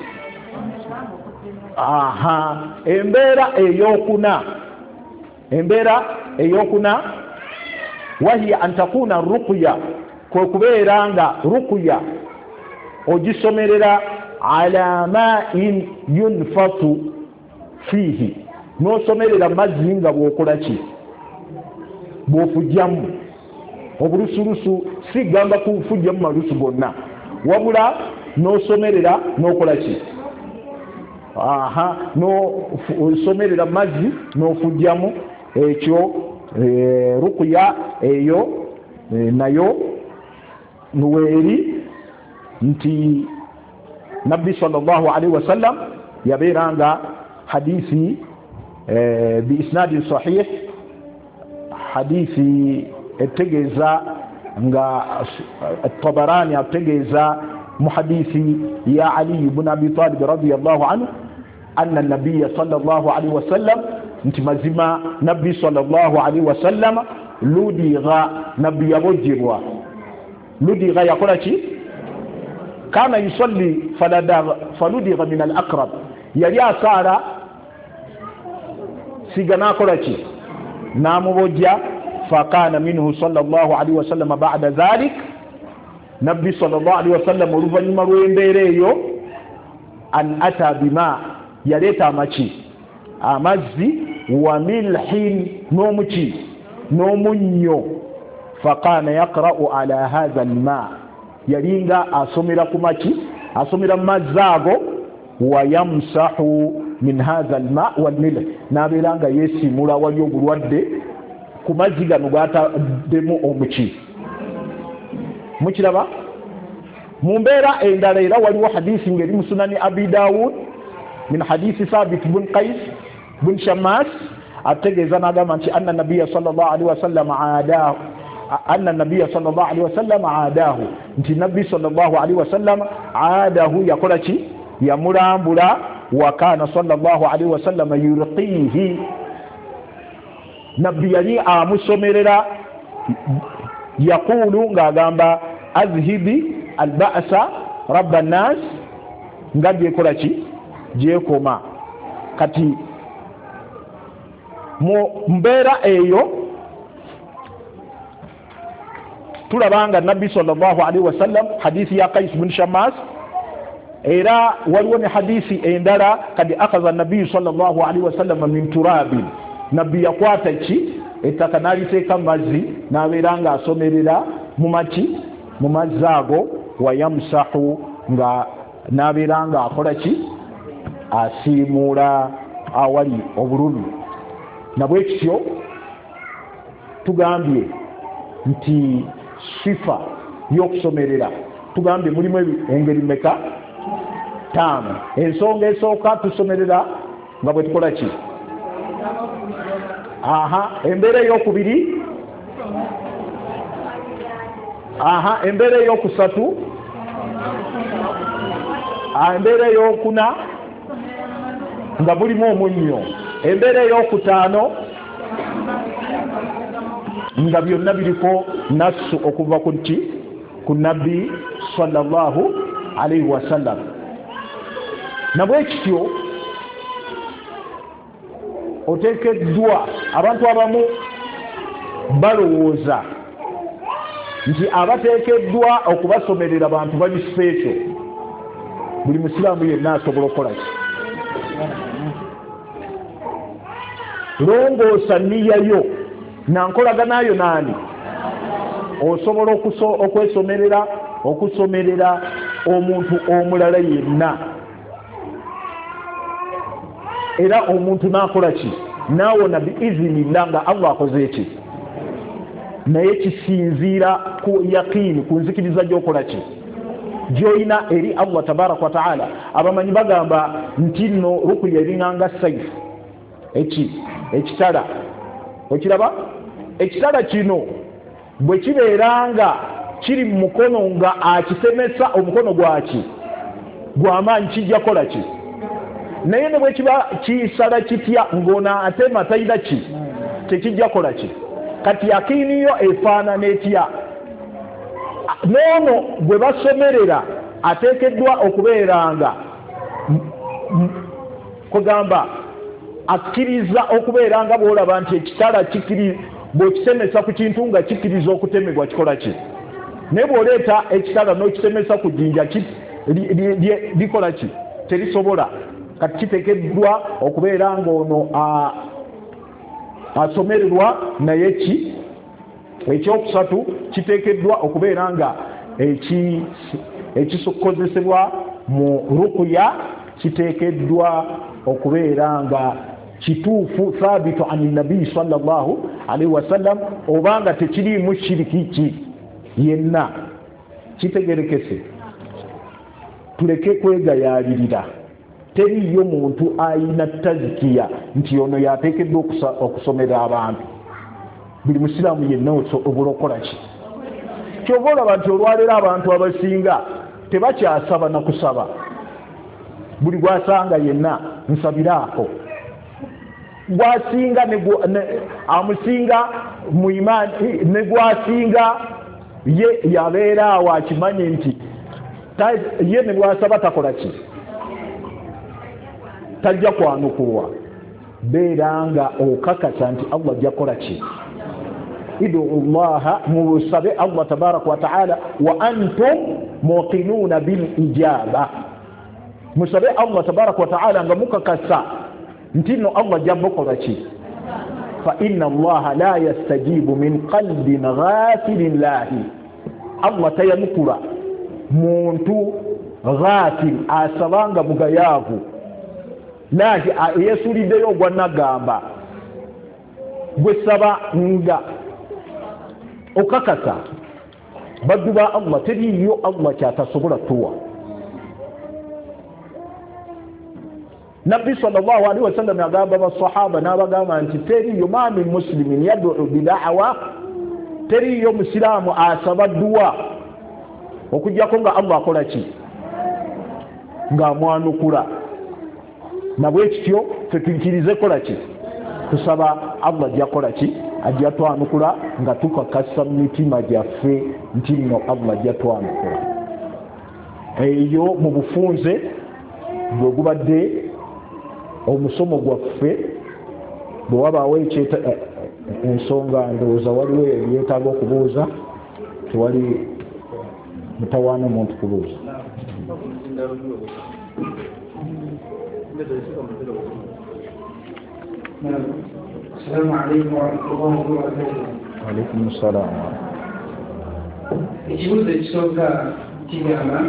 Aha. Embeera eyokuna, embeera eyokuna, wahiya an takuna ruqya, kwe kubeera nga ruqya ogisomerera ala ma'in yunfatu fihi, n'osomerera mazzi nga bw'okola ki? Bw'ofujjamu obulusulusu, si gamba kufujjamu malusu gonna, wabula n'osomerera n'okola ki? Aha, n'osomerera mazzi n'ofujjamu. Ekyo ruqya eyo nayo nuweeri nti Nabbi sallallahu alaihi wasallam yabeeranga hadisi biisnadin sahih, hadisi etegeeza nga Tabarani ategeeza Mu hadithi ya Ali ibn Abi Talib radiyallahu anhu, anna nabiyya sallallahu alaihi wasallam, nti mazima nabbi sallallahu alaihi wasallam ludigha, nabbi yabojjebwa. Ludigha yakola ki? Kana yusalli faludigha min al-aqrab, yali asaala siga nakola ki? Namubojja. Fakana minhu sallallahu alaihi wasallam ba'da dhalik, nabbi sallallahu alaihi wasallam oluvannyuma lw'embeera eyo, an ata bima, yaleeta amaki, amazzi, wa milhin, n'omuki, n'omunnyo. Fakana yaqra'u ala hadha alma, yalinga asomera ku maki, asomera mu mazzi ago, wa yamsahu min hadha alma walmilh, n'abeera nga yeesimula wali obulwadde ku mazzi gano gataddemu omuki. Mukiraba? Mu mbeera endala era waliwo hadisi ng'eri mu Sunani Abi Dawud min hadisi Thabit bun Qais bun Shammas, ategeeza n'agamba nti anna nabiyya sallallahu alaihi wasallam aadahu, anna nabiyya sallallahu alaihi wasallam aadahu, nti nabbi sallallahu alaihi wasallam aadahu yakola ki? Yamulambula. Wa kana sallallahu alaihi wasallam yurqihi, nabbi yali amusomerera, yaqulu ng'agamba azhibi alba'sa rabba nnas, nga gyekola ki? Gyekoma. Kati mu mbeera eyo tulaba nga nabbi sallallahu alaihi wasallam, hadisi ya Qais bin Shammas, era waliwo ne hadisi endala, kadi akaza nabbi sallallahu alaihi wasallam min turabin, nabbi yakwata ki? Ettaka n'aliteeka mazzi, n'abeera nga asomerera mu maki, mu mazzi ago, wa yamsahu, nga n'abeera nga akola ki? Asiimuula awali obulumi. Nabwe kityo tugambye nti sifa y'okusomerera tugambye mulimu engeri mmeka? 5. Ensonga esooka, tusomerera nga bwe tukola ki? Aha. Embeera ey'okubiri, aha. Embeera ey'okusatu, embeera ey'okuna nga bulimu omunnyo, embeera ey'okutaano nga byonna biriko nassu okuva ku ki? Ku nabbi sallallahu alaihi wasallam. Nabwe kityo oteekeddwa, abantu abamu balowooza nti abateekeddwa okubasomerera bantu bali special, buli musiraamu yenna asobola okukola ki? Longoosa nniya yo nankolaganayo naani, osobola okwesomerera, okusomerera omuntu omulala yenna, era omuntu n'akola ki? Naawona biizinillah, nga Allah akoze ki? Naye kisinziira ku yaqiini, ku nzikiriza gy'okola ki? Gy'olina eri Allah tabaraka wa taala. Abamanyi bagamba nti nno rukuya eringanga saifu, eki ekitala. Okiraba? Ekitala kino bwe kibeera nga kiri mu mukono nga akitemesa omukono gwaki gw'amaanyi, kijja kola ki? Naye ne bwe kiba kisala kitya ng'ono atema talina ki? Tekijja kola ki? Kati yakiini yo efaanana etya? N'ono gwe basomerera ateekeddwa okubeeranga kugamba akkiriza okubeera nga bw'olaba nti ekitala bw'okitemesa ku kintu nga kikkiriza okutemebwa kikola ki? Naye bw'oleeta ekitala n'okitemesa ku jjinja likola ki? Terisobola. Kati kiteekeddwa okubeera ng'ono asomererwa naye ki? Ekyokusatu kiteekeddwa okubeera nga ekikozesebwa mu rukuya kiteekeddwa okubeera nga kituufu, thabitu ani nabii sallallahu alaihi wasallam, obanga tekiriimu shiriki ki yenna. Kitegerekese, tuleke kwegayaalirira. Teriyo muntu ayina tazikiya nti ono yateekeddwa okusomera abantu. Buli musiraamu yenna osobola okukola ki? Kyova olaba nti olwaleero abantu abasinga Tebakyasaba na kusaba, buli gwasanga yenna nsabiraako, gwasinga amusinga mu imaani ne gwasinga ye yabeera awo akimanyi nti ye ne bwasaba takola ki, tajja kwanukulwa. Beera nga okakasa nti Allah ajja kukola ki. Idu llaha, musabe Allah tabaraka wa taala, wa antum muqinuuna bil ijaba. Musabe Allah tabaraka wa taala nga mukakasa nti nno Allah ajja mukola ki. Fa inna allaha la yastajibu min qalbin ghafilin lahi, Allah tayanukula muntu ghafil asabanga mugayaavu, lahi yesuliddeyo ogwa nagamba. Gwe saba nga okakasa baddu ba Allah, teriyo Allah kyatasobola tuwa. Nabbi sallallahu alaihi wasallam yagamba basahaba n'abagamba nti teriyo ma min muslimin yad'u bida'wa, teriyo musiraamu asaba dduwa okujjako nga Allah akola ki, ng'amwanukula. Nabwe kityo ffe tuyikirize kola ki, tusaba Allah ajja kola ki, ajja twanukula nga tukakasa mu mitima gyaffe nti nno Allah ajja twanukula. Eyo mu bufunze bwe gubadde omusomo gwaffe. Bwe wabaawo ensonga ndowooza waliwo ebyetaaga okubuuza, tewali mutawaana omuntu kubuuza. Assalamu alaikum warahmatullahi wabarakatuh. Alaikum assalam. Ekibuuzo ekisooka kigamba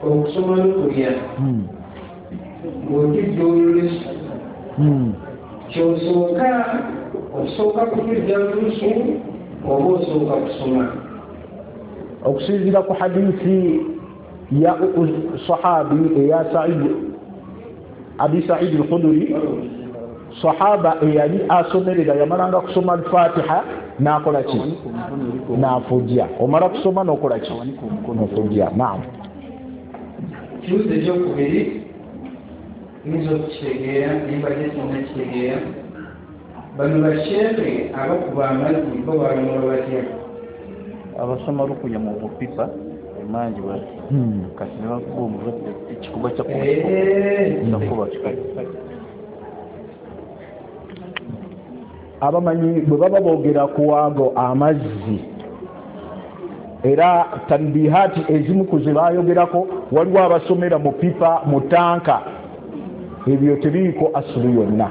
okusoma n'okulya ng'otidde olusu, kyosooka osooka kutujja lusu oba osooka kusoma? Okusinziira ku hadithi ya sahabi eya Said, Abi Said al-Khudri, sahaba eyali asomerera yamalanga kusoma al-Fatiha n'akola ki, n'afujja. Omala kusoma n'okola ki, n'ofujja. Naam. Ekibuuzo ekyokubiri nyinza okukitegeera naye mbadde sinnakitegeera. Bano basheekhe abakuba amazzi bo balamula batya? Abasoma rukuya mu bupipa emangi bati kati ne bakuba omulwadde ekikuba kyakuba. Abamanyi bwe baba boogera ku ago amazzi, era tanbihati ezimu ku ze baayogerako, waliwo abasomera mu pipa mu tanka, ebyo tebiriiko asulu yonna,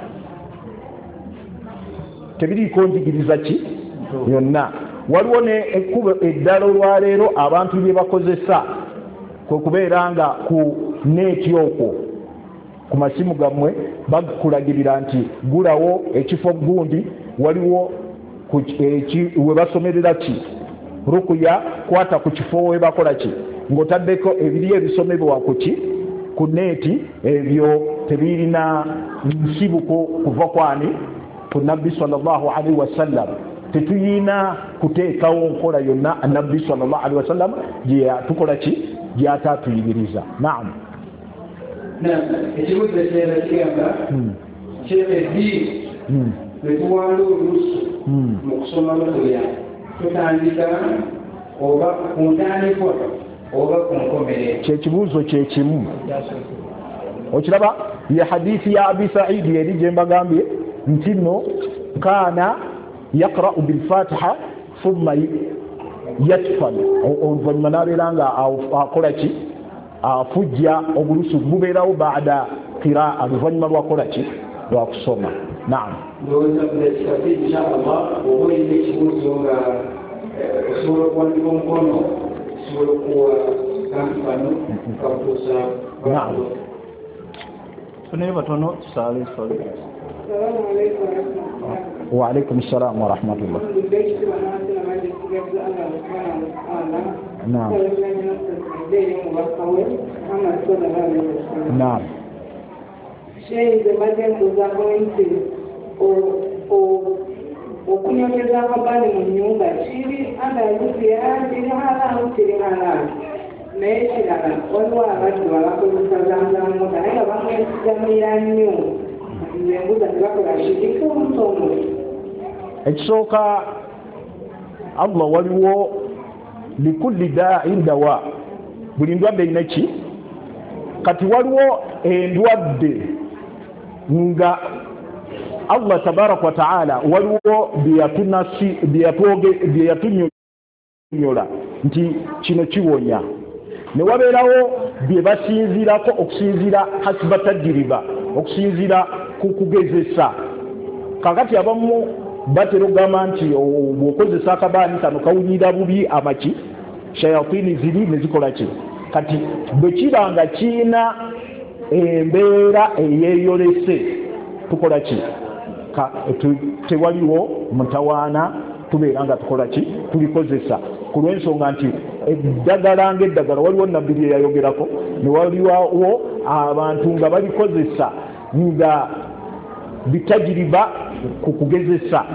tebiriiko njigiriza ki yonna. Waliwo ne ekkubo eddala olwaleero abantu lye bakozesa kwe kubeera nga ku neeti okwo ku masimu gammwe bakulagirira nti gulawo ekifo gundi, waliwo we basomerera ki rukuya, kwata ku kifo we bakola ki, ng'otaddeko ebiri ebisomebwa ku ki ku neeti, ebyo tebirina nsibuko kuva kwani ku Nabbi sallallahu alaihi wasallam. Tetuyina kuteekawo nkola yonna Nabbi sallallahu alaihi wasallam gye tukola ki, gy'ataatuyigiriza. Naam. Ekibuuzo ekirala kigamba kyebeddi lwe tuwanda olusu mu kusoma rukuya, tutandika oba ku ntandikwa oba ku nkomerero? Kyekibuuzo kyekimu. Okiraba ye hadithi ya Abi Saidi eri gye mbagambye nti nno kaana yaqra'u bilfatiha thumma yatfal, oluvannyuma n'abeera nga akola ki, afujja obulusu bubeerawo baada qiraa, luvannyuma lwakola ki, lwakusoma. Naam. Ndowooza kudakika inshallah oba olina ekibuuzo nga osobola okuwandika omukono, osobola okuwa kantu kano kakutuusa. Naam. Tunayo batono tusaale eswala. Wa alaikum salam wa rahmatullah. Naam. Naam. Sheikh mbadde mbuuzaako nti okunyonyeza akabani mu nnyumba kiri anda rukuya, kiri haramu, kiri haramu? Naye kirala, waliwo abaddu abakozesa zamzamu naye nga bamwesigamira nnyo, nze mbuuza tebakola shiriki omutono? Ekisooka, Allah waliwo likulli da'in dawa, buli ndwadde erina ki. Kati waliwo endwadde nga Allah tabaraka wa taala waliwo bye yatunyonyola nti kino kiwonya, ne wabeerawo bye basinziirako okusinziira hasiba tajiriba, okusinziira ku kugezesa. Kakati abamu batera okugamba nti bw'okozesa akabaani kano kawunyira bubi, amaki shayatini ziri ne zikola ki. Kati bwe kiba nga kiina embeera eyeeyolese, tukola ki? Tewaliwo mutawaana, tubeera nga tukola ki? Tulikozesa, ku lw'ensonga nti eddagala ngaeddagala waliwo nabbi lye yayogerako, ne waliwo abantu nga balikozesa nga bitajiriba ku kugezesa,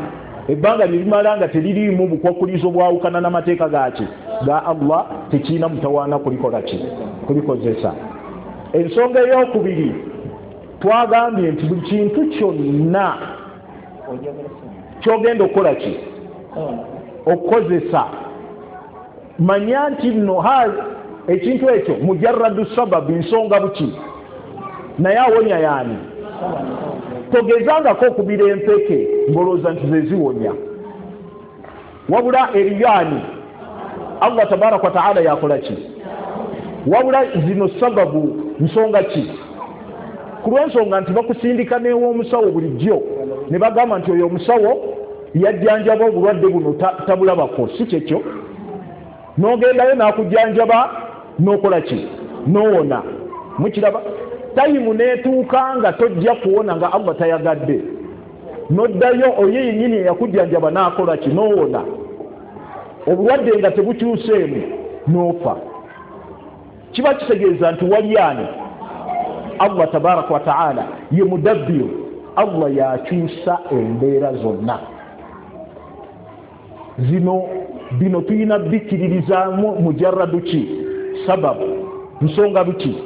ebbanga lyerimala nga teririimu bukwakulizo bwawukana n'amateeka gaki ga Allah, tekiina mutawaana kulikola ki? Kulikozesa. Ensonga eyokubiri, twagambye nti buli kintu kyonna kyogenda okukola ki? Okukozesa, manya nti nno ekintu ekyo mujarradu sababu, nsonga buki, naye awonya yaani? Togezangako okubira empeke ng'olowooza nti zeziwonya, wabula eriyo ani? Allah tabaraka wataala yakola ki? Wabula zino sababu, nsonga ki, ku lw'ensonga nti bakusindika n'ew'omusawo bulijjo ne bagamba nti oyo omusawo yajjanjaba obulwadde buno tabulabako, si kyekyo? N'ogendayo n'akujjanjaba n'okola ki? N'owona. Mukiraba, tayimu n'etuuka nga tojja kuwona nga Allah tayagadde, n'oddayo oyo yennyini eyakujjanjaba n'akola ki? N'owona. Obulwadde nga tebukyuseemu, n'ofa. Kiba kitegeeza nti wali ani? Allah tabaraka wataala ye mudabbiru, Allah yakyusa embeera zonna zino. Bino tulina bikkiririzaamu mujarradu ki? Sababu, nsonga buki.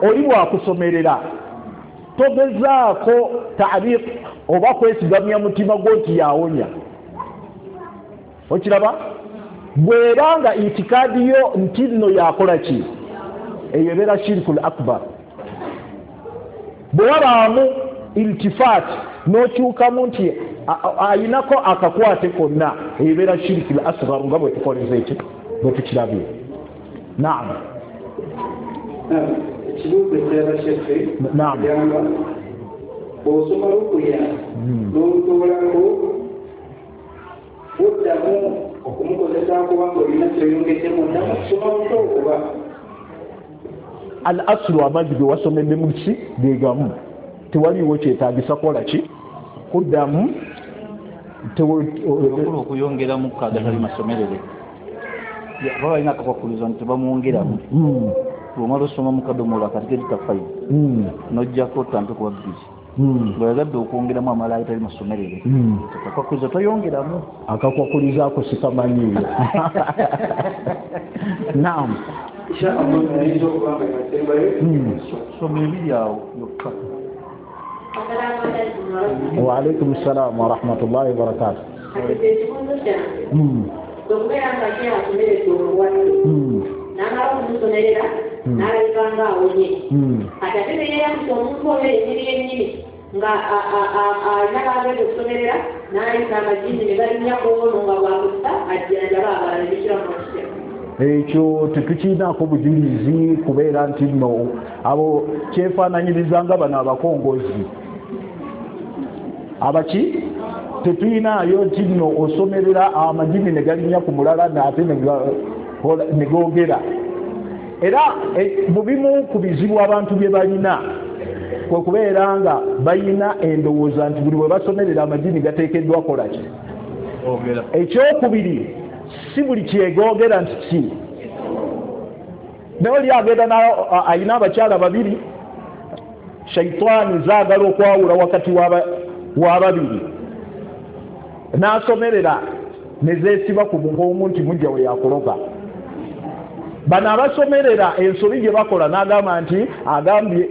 Oli bwakusomerera, togezaako taariq oba kwesigamya mutima gwo nti yawonya. Okiraba, bwera nga itikaadi yo nti nno yakola ki, eyo ebeera shirikul akbar. Bwe wabaamu iltifaat n'okyukamu nti ayinako akakwate konna, eyo ebeera shirikul asgar, nga bwe tukoleza eki bwe tukirabye. Naam. Ekibuuzo ekirala, shekhe. Naam. Gamba bw'osoma rukuya n'olutoolako, buddamu okumukozesa kubanga olina kyoyongeddemu, oddamu okusoma buto oba? Al aslu, amazzi ge wasomedde mu ki gegamu, tewaliwo kyetagisa kukola ki? Kuddamu. Okula okuyongeramu agatali masomerere, baba balina akakwakulizo nti tebamwongeramu. Bwomala osoma mukadomola kati gedita 5, nojjako otampe kuba 2. Bweyagadde okwongeramu amala agatali masomerere, akakwakulizo toyongeramu. Akakwakulizo ako sikamanyiyo. Naam. Inshallah ayinza okuba nga yasembayo. Soma ebiri awo yokka. Waalaikum salam warahmatullahi wabarakatu. Kati ekibuuzo kyange, okubeera nga kyasomeredde omulwadde, n'amala okumusomerera, n'alabika nga awonye, kati ate neyeyambisa omuntu oyo yennyini yennyini nga alina bagenda okusomerera, n'ayita amajini ne balinnya ku ono nga bwakussa ajjanjaba abalala, ebikiramu okutya? Ekyo tetukiinaako bujulizi, kubeera nti nno abo kyefaananyiriza nga bano abakongozi abaki. Tetuyinaayo nti nno osomerera amajini ne galinnya ku mulala ate ne googera. Era mu bimu ku bizibu abantu bye balina kwe kubeera nga balina endowooza nti buli bwe basomerera amajini gateekeddwa kolaki. Ekyokubiri, si buli kyegoogera nti ki, naye oli agenda ayina abakyala babiri, shaitaani zaagala okwawula wakati w'ababiri, n'asomerera nezeesiba ku muhoomu nti mujja we yakuloga. Bano abasomerera ensobi gye bakola n'agamba nti agambye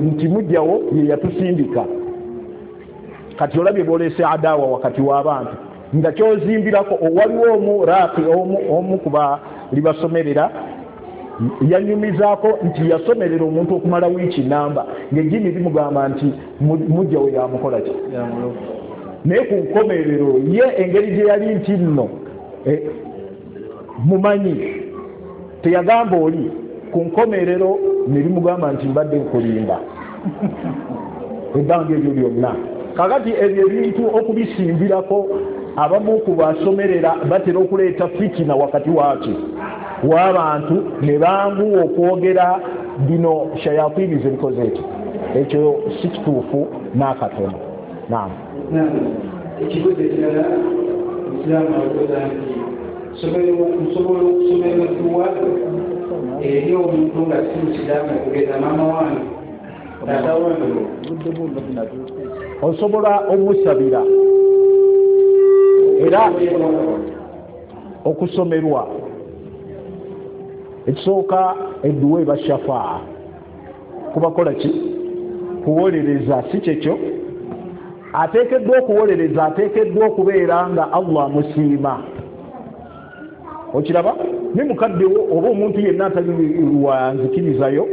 nti mujjawo ye yatusindika. Kati olabye bwolese adawa wakati w'abantu nga kyozimbirako. Waliwo omu raaki omu kuba libasomerera yanyumizaako nti yasomerera omuntu okumala wiiki namba ng'ejjini limugamba nti mujjawo yamukola ki, naye ku nkomerero ye engeri gye yali nti nno mumanyi teyagamba oli ku nkomerero ne limugamba nti mbadde nkulimba ebbanga eryo lyonna. Kakati ebyo ebintu okubisimbirako abamu ku basomerera batera okuleeta fitina wakati waaki w'abantu ne banguwa okwogera bino shayatini zebikoze ekyo. Ekyo si kituufu n'akatono. Naam. Ekibuuzo ekirala Musiraamu abuuza nti nsobola okusomerwa dduwa eri omuntu nga si Musiraamu okugeza maama wange, taata wange? Osobola omusabira era okusomerwa ekisooka edduwa eba shafaa kubakola ki? Kuwolereza, si kyekyo? Ateekeddwa okuwolereza, ateekeddwa okubeera nga Allah amusiima. Okiraba ne mukaddewo oba omuntu yenna atali wa nzikirizayo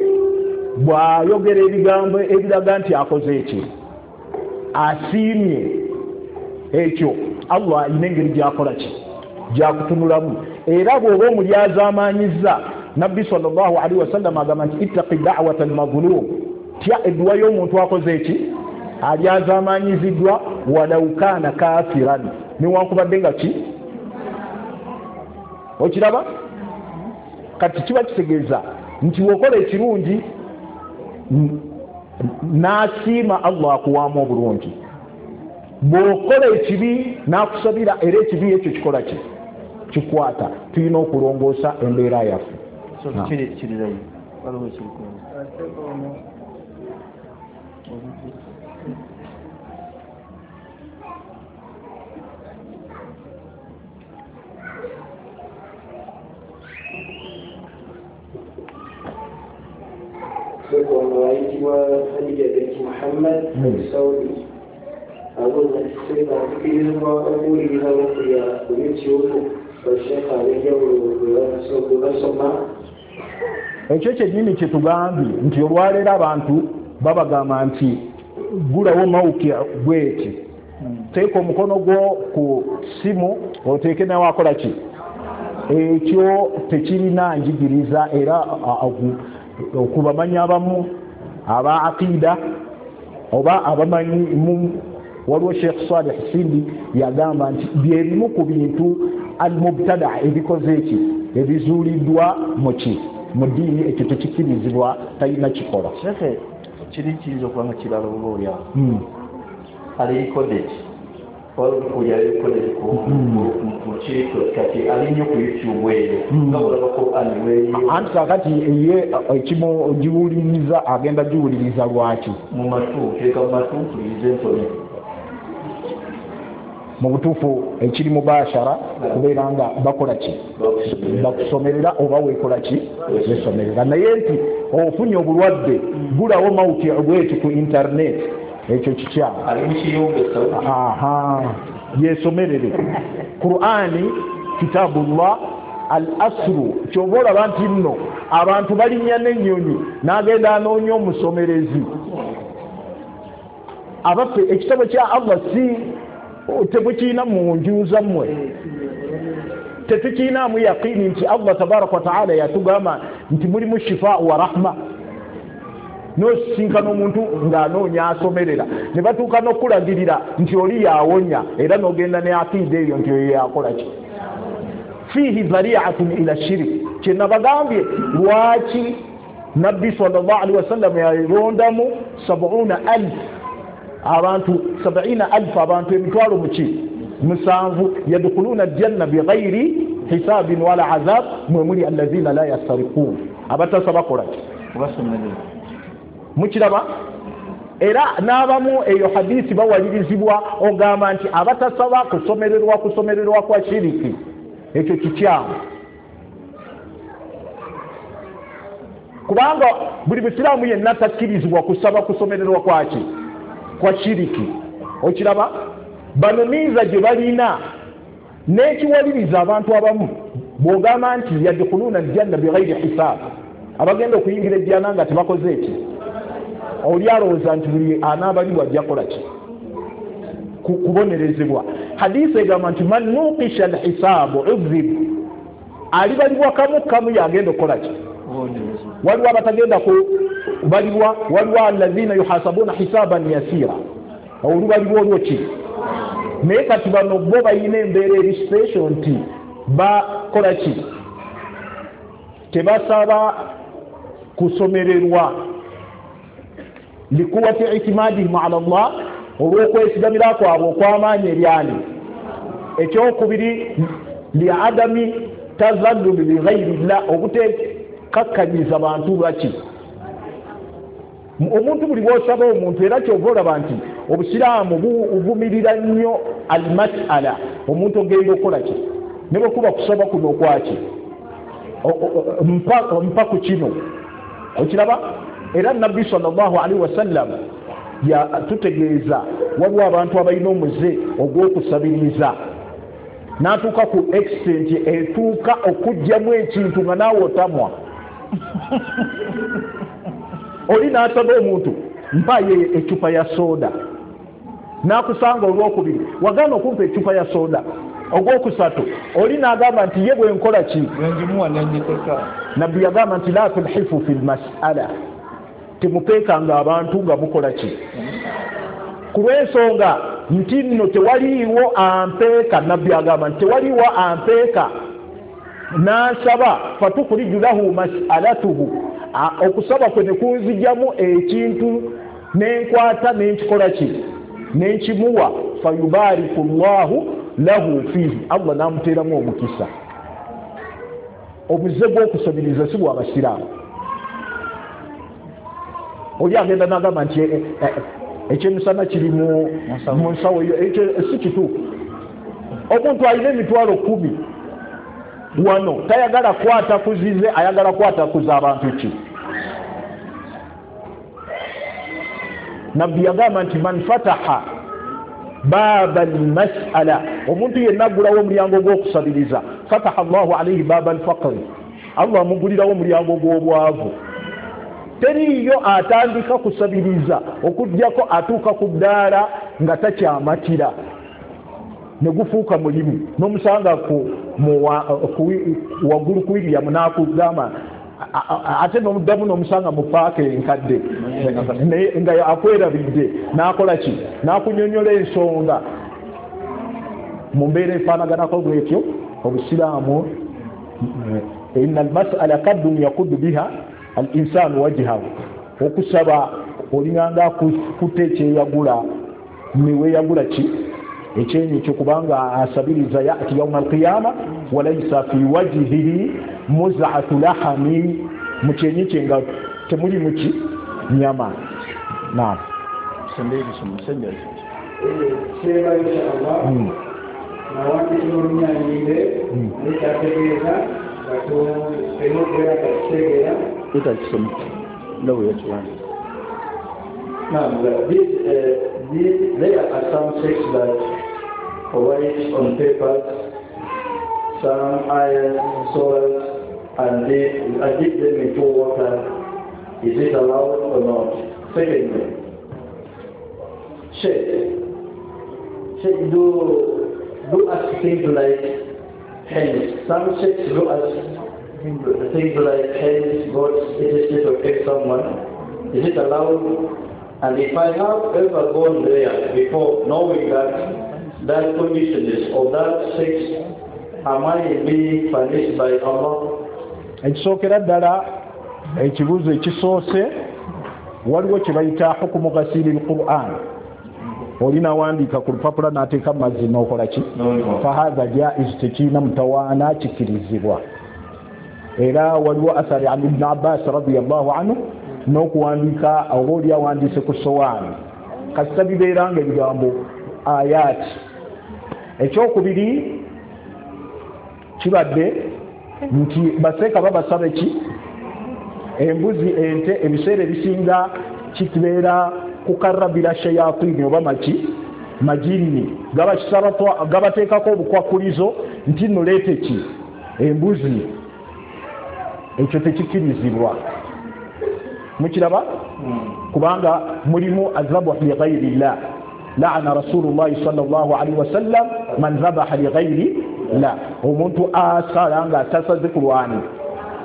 bw'ayogera ebigambo ebiraga nti akoze eki, asiimye ekyo, Allah alina engeri gy'akola ki, gy'akutunulamu. Era bw'oba omulyazaamaanyizza, Nabbi sallallahu alaihi wasallam agamba nti ittaqi da'wata al-mazlum, tya edduwa y'omuntu akoze eki, alyazaamaanyiziddwa, walau kaana kafiran, newankubadde nga ki. Okiraba kati kiba kitegeeza nti wokola ekirungi n'asiima Allah akuwaamu obulungi, bw'okola ekibi n'akusabira era ekibi ekyo kikola ki, kikwata. Tulina okulongoosa embeera yaffe. Ono ayitibwa Hadija binti Muhammad Saudi abuuza nti Sheikh akukirizibwa okuwuliriza ruqya ku YouTube basheikh ab'enjawulo bwe basoma? Ekyo kyennyini kye tugambye nti olwaleero abantu babagamba nti gulawo mawuki bweti, teeka omukono gwo ku ssimu oteeke nawe akola ki. Ekyo tekirina njigiriza era okubamanyi abamu aba aqida oba abamanyi. Waliwo Sheikh Salih Sindi yagamba nti byebimu ku bintu al-mubtada ebikoze eki ebizuuliddwa muki mu ddiini, ekyo tekikirizibwa, talina kikola. Sheikh kiri kiyinza okuba nga kirala oba oli awo ali recorded waliwo recorded ku kiko kati ali nnyo ku YouTube eyo nga olaba Qur'an weeyo. Anti kakati ye ekimu giwuliriza agenda giwuliriza lwaki mu matu teeka mu matu mpulirize nsome. Mu butuufu ekiri mubashara kubeera nga bakola ki, bakusomerera oba weekola ki, wesomerera. Naye nti ofunye obulwadde gulawo mawuki bweti ku internet, ekyo kikyamu. Yesomerere Qur'ani, kitabullah al asru. Kyova olaba nti nno abantu balinnya n'ennyonyi n'agenda anoonya omusomerezi. Abaffe ekitabo kya Allah si tebukiina mu nju zammwe, tetukiinaamu yaqini nti Allah tabaraka wa taala yatugamba nti mulimu shifa wa rahma. N'osisinkana omuntu ng'anoonya asomerera ne batuuka n'okulagirira nti oli yawonya, era n'ogenda ne aqida eyo nti oyo yakola ki. Fiihi dhari'atun ila shirik. Kye nabagambye lwaki Nabbi sallallahu alaihi wasallam yalondamu 70,000 abantu, 70,000 abantu emitwalo muki 7 yadkhuluna aljanna bighairi hisabin wala azab, mwe muli allazina la yasariqun, abatasaba kola ki, mukiraba. Era n'abamu eyo hadisi bawalirizibwa ogamba nti abatasaba kusomererwa kwa shiriki, ekyo kikyamu. Kubanga buli musiraamu yenna takkirizibwa kusaba kusomererwa kwaki? Kwa shiriki. Okiraba? Bano miiza gye balina n'ekiwaliriza abantu abamu bw'ogamba nti yadkhuluuna aljanna bighairi hisaab, abagenda okuyingira ejjana nga tebakoze eki, oli alowooza nti buli anaabalibwa ajja kukola ki? Kubonerezebwa. Hadisi egamba nti man nuqisha alhisaabu udhib, alibalibwa kamu kamu yagenda okukola ki? Waliwo abatagenda kubalibwa, waliwo alladhina yuhasabuna hisaban yasira, olubalibwa olwo ki? Naye kati bano bo balina embeera eri special nti bakola ki? Tebasaba kusomererwa likuwati itimadihim ala Allah, olw'okwesigamira kwabwe okw'amaanyi eryani. Ekyokubiri liadami tazalluli lighairi llah, obutekakkanyiza bantu baki. Omuntu buli bw'osaba omuntu, era kyova olaba nti obusiraamu buvumirira nnyo almasala, omuntu ogenda okukola ki? Ne bwe kuba kusaba kuno okwaki, mpa ku kino. Okiraba? Era Nabbi sallallahu alaihi wasallam yatutegeeza waliwo abantu abalina omuze ogw'okusabiriza, n'atuuka ku extent etuuka okuggyamu ekintu nga naawe otamwa. Oli n'asaba omuntu mpaye ecupa ya soda, n'akusanga olwokubiri wagaana okumpa ecupa ya soda, ogwokusatu oli n'agamba nti ye bwe nkola ki? Nabbi yagamba nti la tulhifu fi lmasala, temupeekanga abantu nga mukola ki? Ku lw'ensonga nti nno tewaliiwo ampeeka. Nabbi agamba nti tewaliiwo ampeeka n'asaba fatukhriju lahu mas'alatuhu, okusaba kwe ne kunzijjamu ekintu nenkwata nenkikola ki? Nenkimuwa, fayubariku llahu lahu fiihi, Allah n'amuteeramu omukisa. Omuze gw'okusabiriza si bwa basiraamu. Oli agenda n'agamba nti ekyemisana kiri mu nsawo eyo, ekyo si kituufu. Omuntu alina emitwalo 10 wano tayagala kwata kuzize, ayagala kwata kuza abantu ki? Nabbi yagamba nti man fataha baba almasala, omuntu yenna aggulawo omulyango gw'okusabiriza, fataha Allahu alaihi baba alfaqri, Allah amugulirawo omulyango gw'obwavu. Teriiyo atandika kusabiriza okuggyako atuuka ku ddaala nga takyamatira, ne gufuuka mulimu. N'omusanga waggulu ku William n'akugamba, ate n'omuddamu n'omusanga mu paaka enkadde nga akwerabidde, n'akola ki? N'akunyonyola ensonga mu mbeera efaanaganako bwetyo. Obusiraamu inna almasala kaddun yakuddu biha al insanu wajhahu, okusaba olinganga akutte ekyeyagula neweyagula ki? Ekyenyi kyo, kubanga asabiriza yati yauma alqiyama walaisa fi wajhihi muz'atu lahami, mu kyenyi kye nga temuli muki nyama. Naam. Now, there are some sects that write on papers, some iron, swords, and they dip them into water. Is it allowed or not? Secondly, Sheikh, do ask things like hens. Some sheikhs do ask things like hens, goats, etc. to affect someone. Is it allowed? And if I have ever gone there before knowing that condition is of that sex, am I being punished by Allah? Ekisookera ddala ekibuuzo ekisoose, waliwo kye bayita hukumu ghasili al-Qur'an. Oli nawandiika ku lupapula n'ateeka mu mazzi n'okola ki? Fahadha jaiz, tekirina mutawaana, kikirizibwa. Era waliwo athari an Ibn Abbas radiyallahu anhu n'okuwandiika oba oli awandiise ku sowaani, kasita bibeera nga ebigambo ayati. Ekyokubiri kibadde nti baseeka babasaba ki? Embuzi, ente, ebiseera ebisinga kibeera kukarabira shayatini oba maki majini, gabateekako obukwakulizo nti nno leete ki embuzi. Ekyo tekikkirizibwa. Mukiraba? Kubanga mulimu azabuhu li ghairi llah. Laana rasulullahi sallallahu alaihi wasallam man zabaha li ghairi llah. Omuntu asala nga tasaze kulwani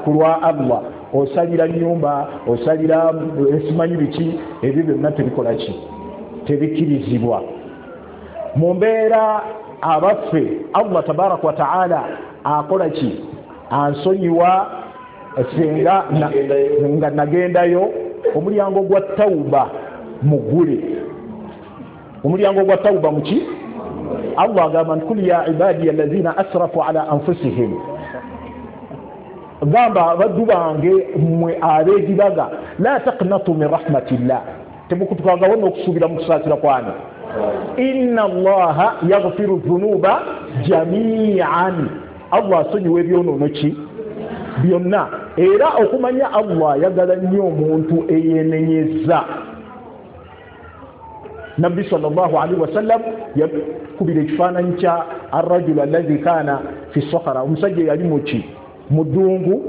kulwa Allah, osalira nyumba, osalira esimanyi biki, ebyo byonna tebikola ki, tebikkirizibwa. Mu mbeera abaffe Allah tabaraka wa taala akola ki, ansonyiwa senga nga nagendayo. Omulyango gwa tauba mugule, omulyango gwa tauba muki. Allah agamba nti kul ya ibadi alladhina asrafu ala anfusihim, gamba abaddu bange mmwe abeegibaga, la taqnatu min rahmatillah, temukutukagawo n'okusuubira mu kusaasira kwange. Inna allaha yaghfiru dhunuba jamian, Allah asonyiwa ebyonoono ki byonna. Era okumanya Allah ayagala nnyo omuntu eyenenyeza. Nabbi sallallahu alaihi wasallam yakubira ekifaananyi kya arrajulu alladhi kana fi sakhara, omusajja yali muki mu ddungu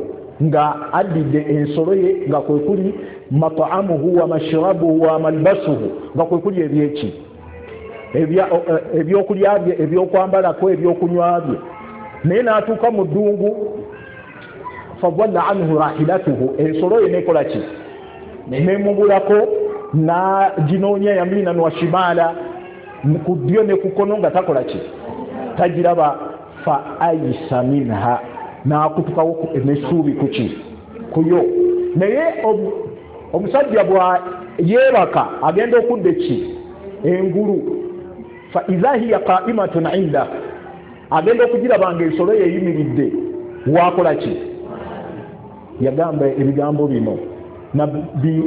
nga addidde ensolo ye nga kwe kuli mat'amuhu wa mashrabuhu wa malbasuhu, nga kwe kuli ebyeki ebyokulya bye, ebyokwambalako, ebyokunywa bye. Naye n'atuuka mu ddungu, fadalla anhu rahilatuhu, ensolo ye nekola ki, nemubulako, naginoonya yaminan wa shimala, ku ddyo ne ku kkono nga takola ki, tagiraba. Fa aisa minha, n'akutukawo n'essuubi kuki kuyo. Naye omusajja bwa yeebaka agenda okudda ki engulu, fa idha hiya qa'imatun inda, agenda okugiraba nga ensolo yeyimiridde, wakola ki? Yagamba ebigambo bino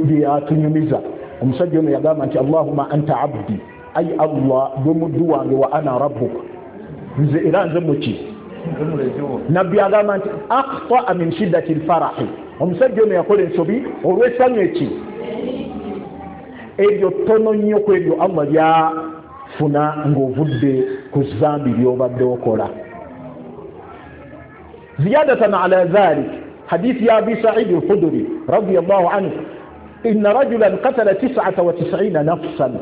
byatunyumiza. Omusajja ono yagamba nti allahumma anta abdi, ay Allah gwe muddu wange, wa ana rabbuka, nze era nze muki. Nabbi agamba nti akhtaa min shiddati lfarahi, omusajja ono yakola ensobi olw'essanyu eki eryo ttono nnyo ku eryo Allah lyafuna ng'ovudde ku zambi ly'obadde okola. Ziyadatan ala dhalik, hadith ya Abi Sa'id al-Khudri radiyallahu anhu, inna rajulan qatala 99 nafsan,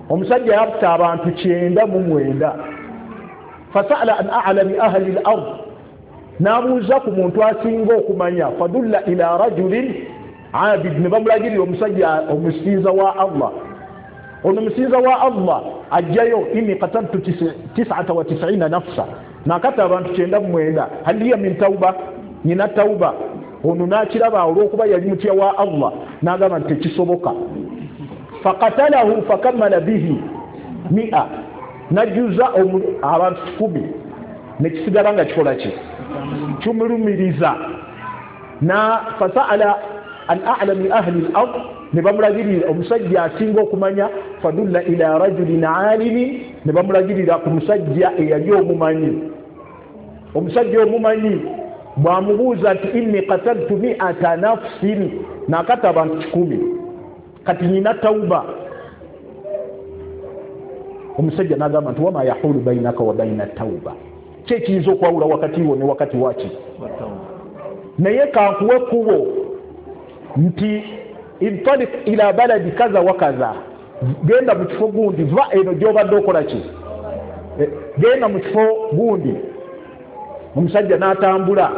omusajja yatta abantu 99. Fasala an a'lami ahli al-ard, n'abuuza ku muntu asinga okumanya. Fadulla ila rajulin abid, ne bamulagirira omusajja omusinza wa Allah. Ono musinza wa Allah ajjayo, inni qataltu 99 nafsa, nakata abantu 99, hal liya min tauba, nina tauba. Ono n'akiraba olw'okuba yali mutya wa Allah, n'agamba nti tekisoboka. Faqatalahu fakammala bihi 100, najjuza abantu 10, nekisigala nga kikola ki, kimulumiriza. Na fasaala an a'lami ahli al-ard, ne bamulagirira omusajja asinga okumanya. Fadulla ila rajulin alimin, ne bamulagirira ku musajja eyali omumanyi. Omusajja omumanyi bwamubuuza nti inni qataltu 100 nafsin, nakata abantu 10, kati nina tauba. Omusajja n'agamba nti wama yahulu bainaka wa baina tauba, ki ekiyinza okwawula wakati wo ne wakati waki? Naye kankuwe ekkubo nti intalik ila baladi kaza wa kaza, genda mu kifo gundi, va eno gy'obadde okola ki, genda mu kifo gundi. Omusajja n'atambula.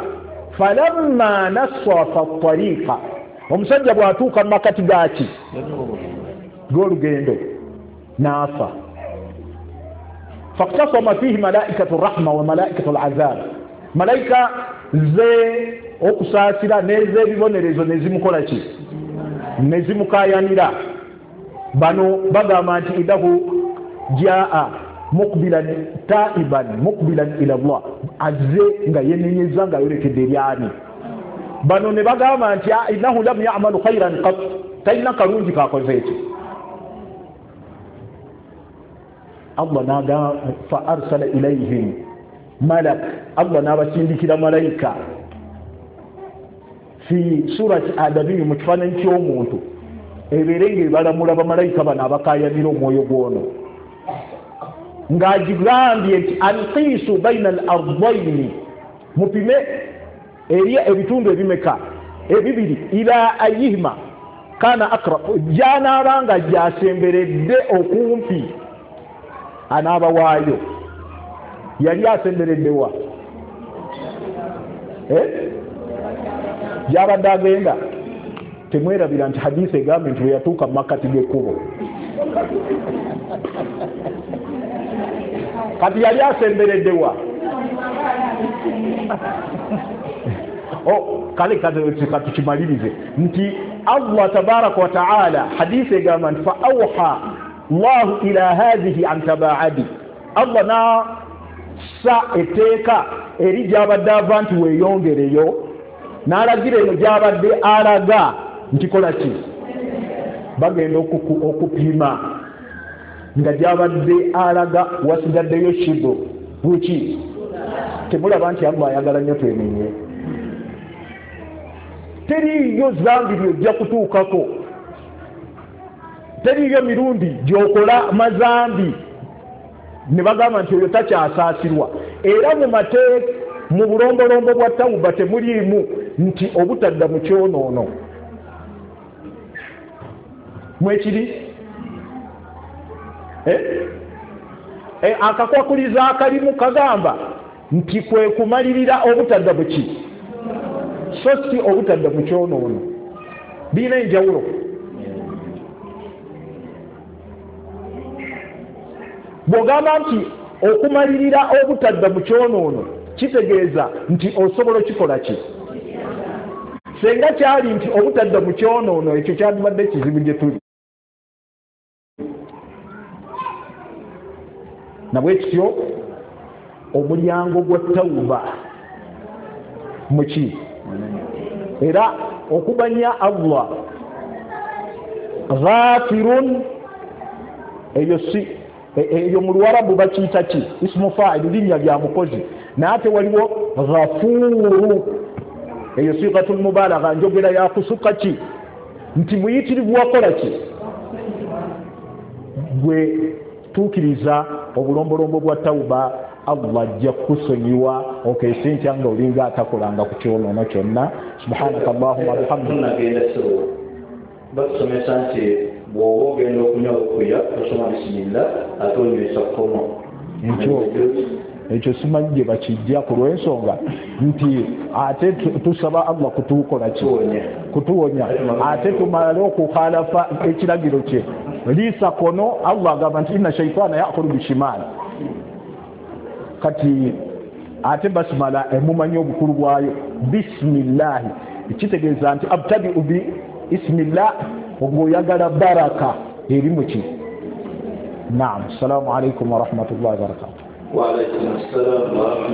Falamma nasafa tariqa, omusajja bw'atuuka mu makati gaki g'olugendo n'afa. Faktasama fihi malaikatu rahma wa malaikatu alazab, malaika ze okusaasira n'ez'ebibonerezo nezimukola ki, nezimukayanira. Bano bagamba nti idahu jaa mukbilan taiban mukbilan ila Allah, azze nga yenenyeza nga yolekedde eryani. Bano ne bagamba nti innahu lam ya'malu khairan qat, talina kalungi kakoze ekyo. Allah naga fa arsala ilayhim malak, Allah n'abasindikira malayika. Fi surati adamiyu, mu kifaananyi ky'omuntu, ebeere ng'ebalamula bamalayika bano abakaayanira omwoyo gwono, ng'agigambye nti anqiisu baina al ardaini, mupime eri ebitundu ebimeka ebibiri, ila ayihima kana akrab, gy'anaaba nga gy'asemberedde okumpi anaaba waayo. Yali asemberedde wa? Gy'abadde agenda. Temwerabira nti hadisi egambye nti bwe yatuuka mu makkati g'ekkubo, kati yali asemberedde wa? Kale katukimalirize nti Allah tabaraka wa taala, hadisi egamba nti fa awha llahu ila hadhihi an tabaadi, Allah nassa etteeka eri gy'abadde ava nti weeyongereyo, n'alagira eno gy'abadde alaga nti kola ki, bagenda okupima nga gy'abadde alaga wasigaddeyo shibu buki. Temulaba nti Allah ayagala nnyo twenenye? Teriiyo zambi lyojja kutuukako, teriiyo mirundi gy'okola mazambi ne bagamba nti oyo takyasaasirwa. Era mu mateeka, mu bulombolombo bwa tawuba temuliimu nti obutadda mu kyonoono. Mwekiri akakwakuliza akalimu kagamba nti kwe kumalirira obutadda buki, so si obutadda mu kyonoono. Birina enjawulo. Bw'ogamba nti okumalirira obutadda mu kyonoono kitegeeza nti osobola okikola ki, senga kyali nti obutadda mu kyonoono ekyo kyandibadde kizibu gye tuli. Nabwe kityo omulyango gwa tawuba muki, era okumanya Allah ghafirun, eyo si eyo mu Luwarabu bakiyita ki, ismu fa'il, linnya lya mukozi, naye ate waliwo ghafuru, eyo sigatul mubalagha, njogera ya kusuka ki, nti muyitirivu wakola ki, gwe tuukiriza obulombolombo bwa tawuba, Allah ajja kukusonyiwa okeese ntya nga olinga atakolanga ku kyonoono kyonna. Subhanaka allahumma bihamdika. Batusomesa nti bw'oba ogenda okunywa okuya osoma bisimillah ate onywesa kkono. Ekyo simanyi gye bakijja ku lw'ensonga nti ate tusaba Allah kutukola ki, kutuwonya, ate tumale okukhalafa ekiragiro kye. Liisa kono, Allah agamba nti inna shaitana yakulu bishimal. Kati ate basimala emumanyi obukulu bwayo, bisimillahi kitegeeza nti abtadiu bi ismillah, ng'oyagala baraka eri muki. Naam, assalamu alaikum warahmatullahi wabarakatuh. Wa alaikum assalam wa rahmatullahi.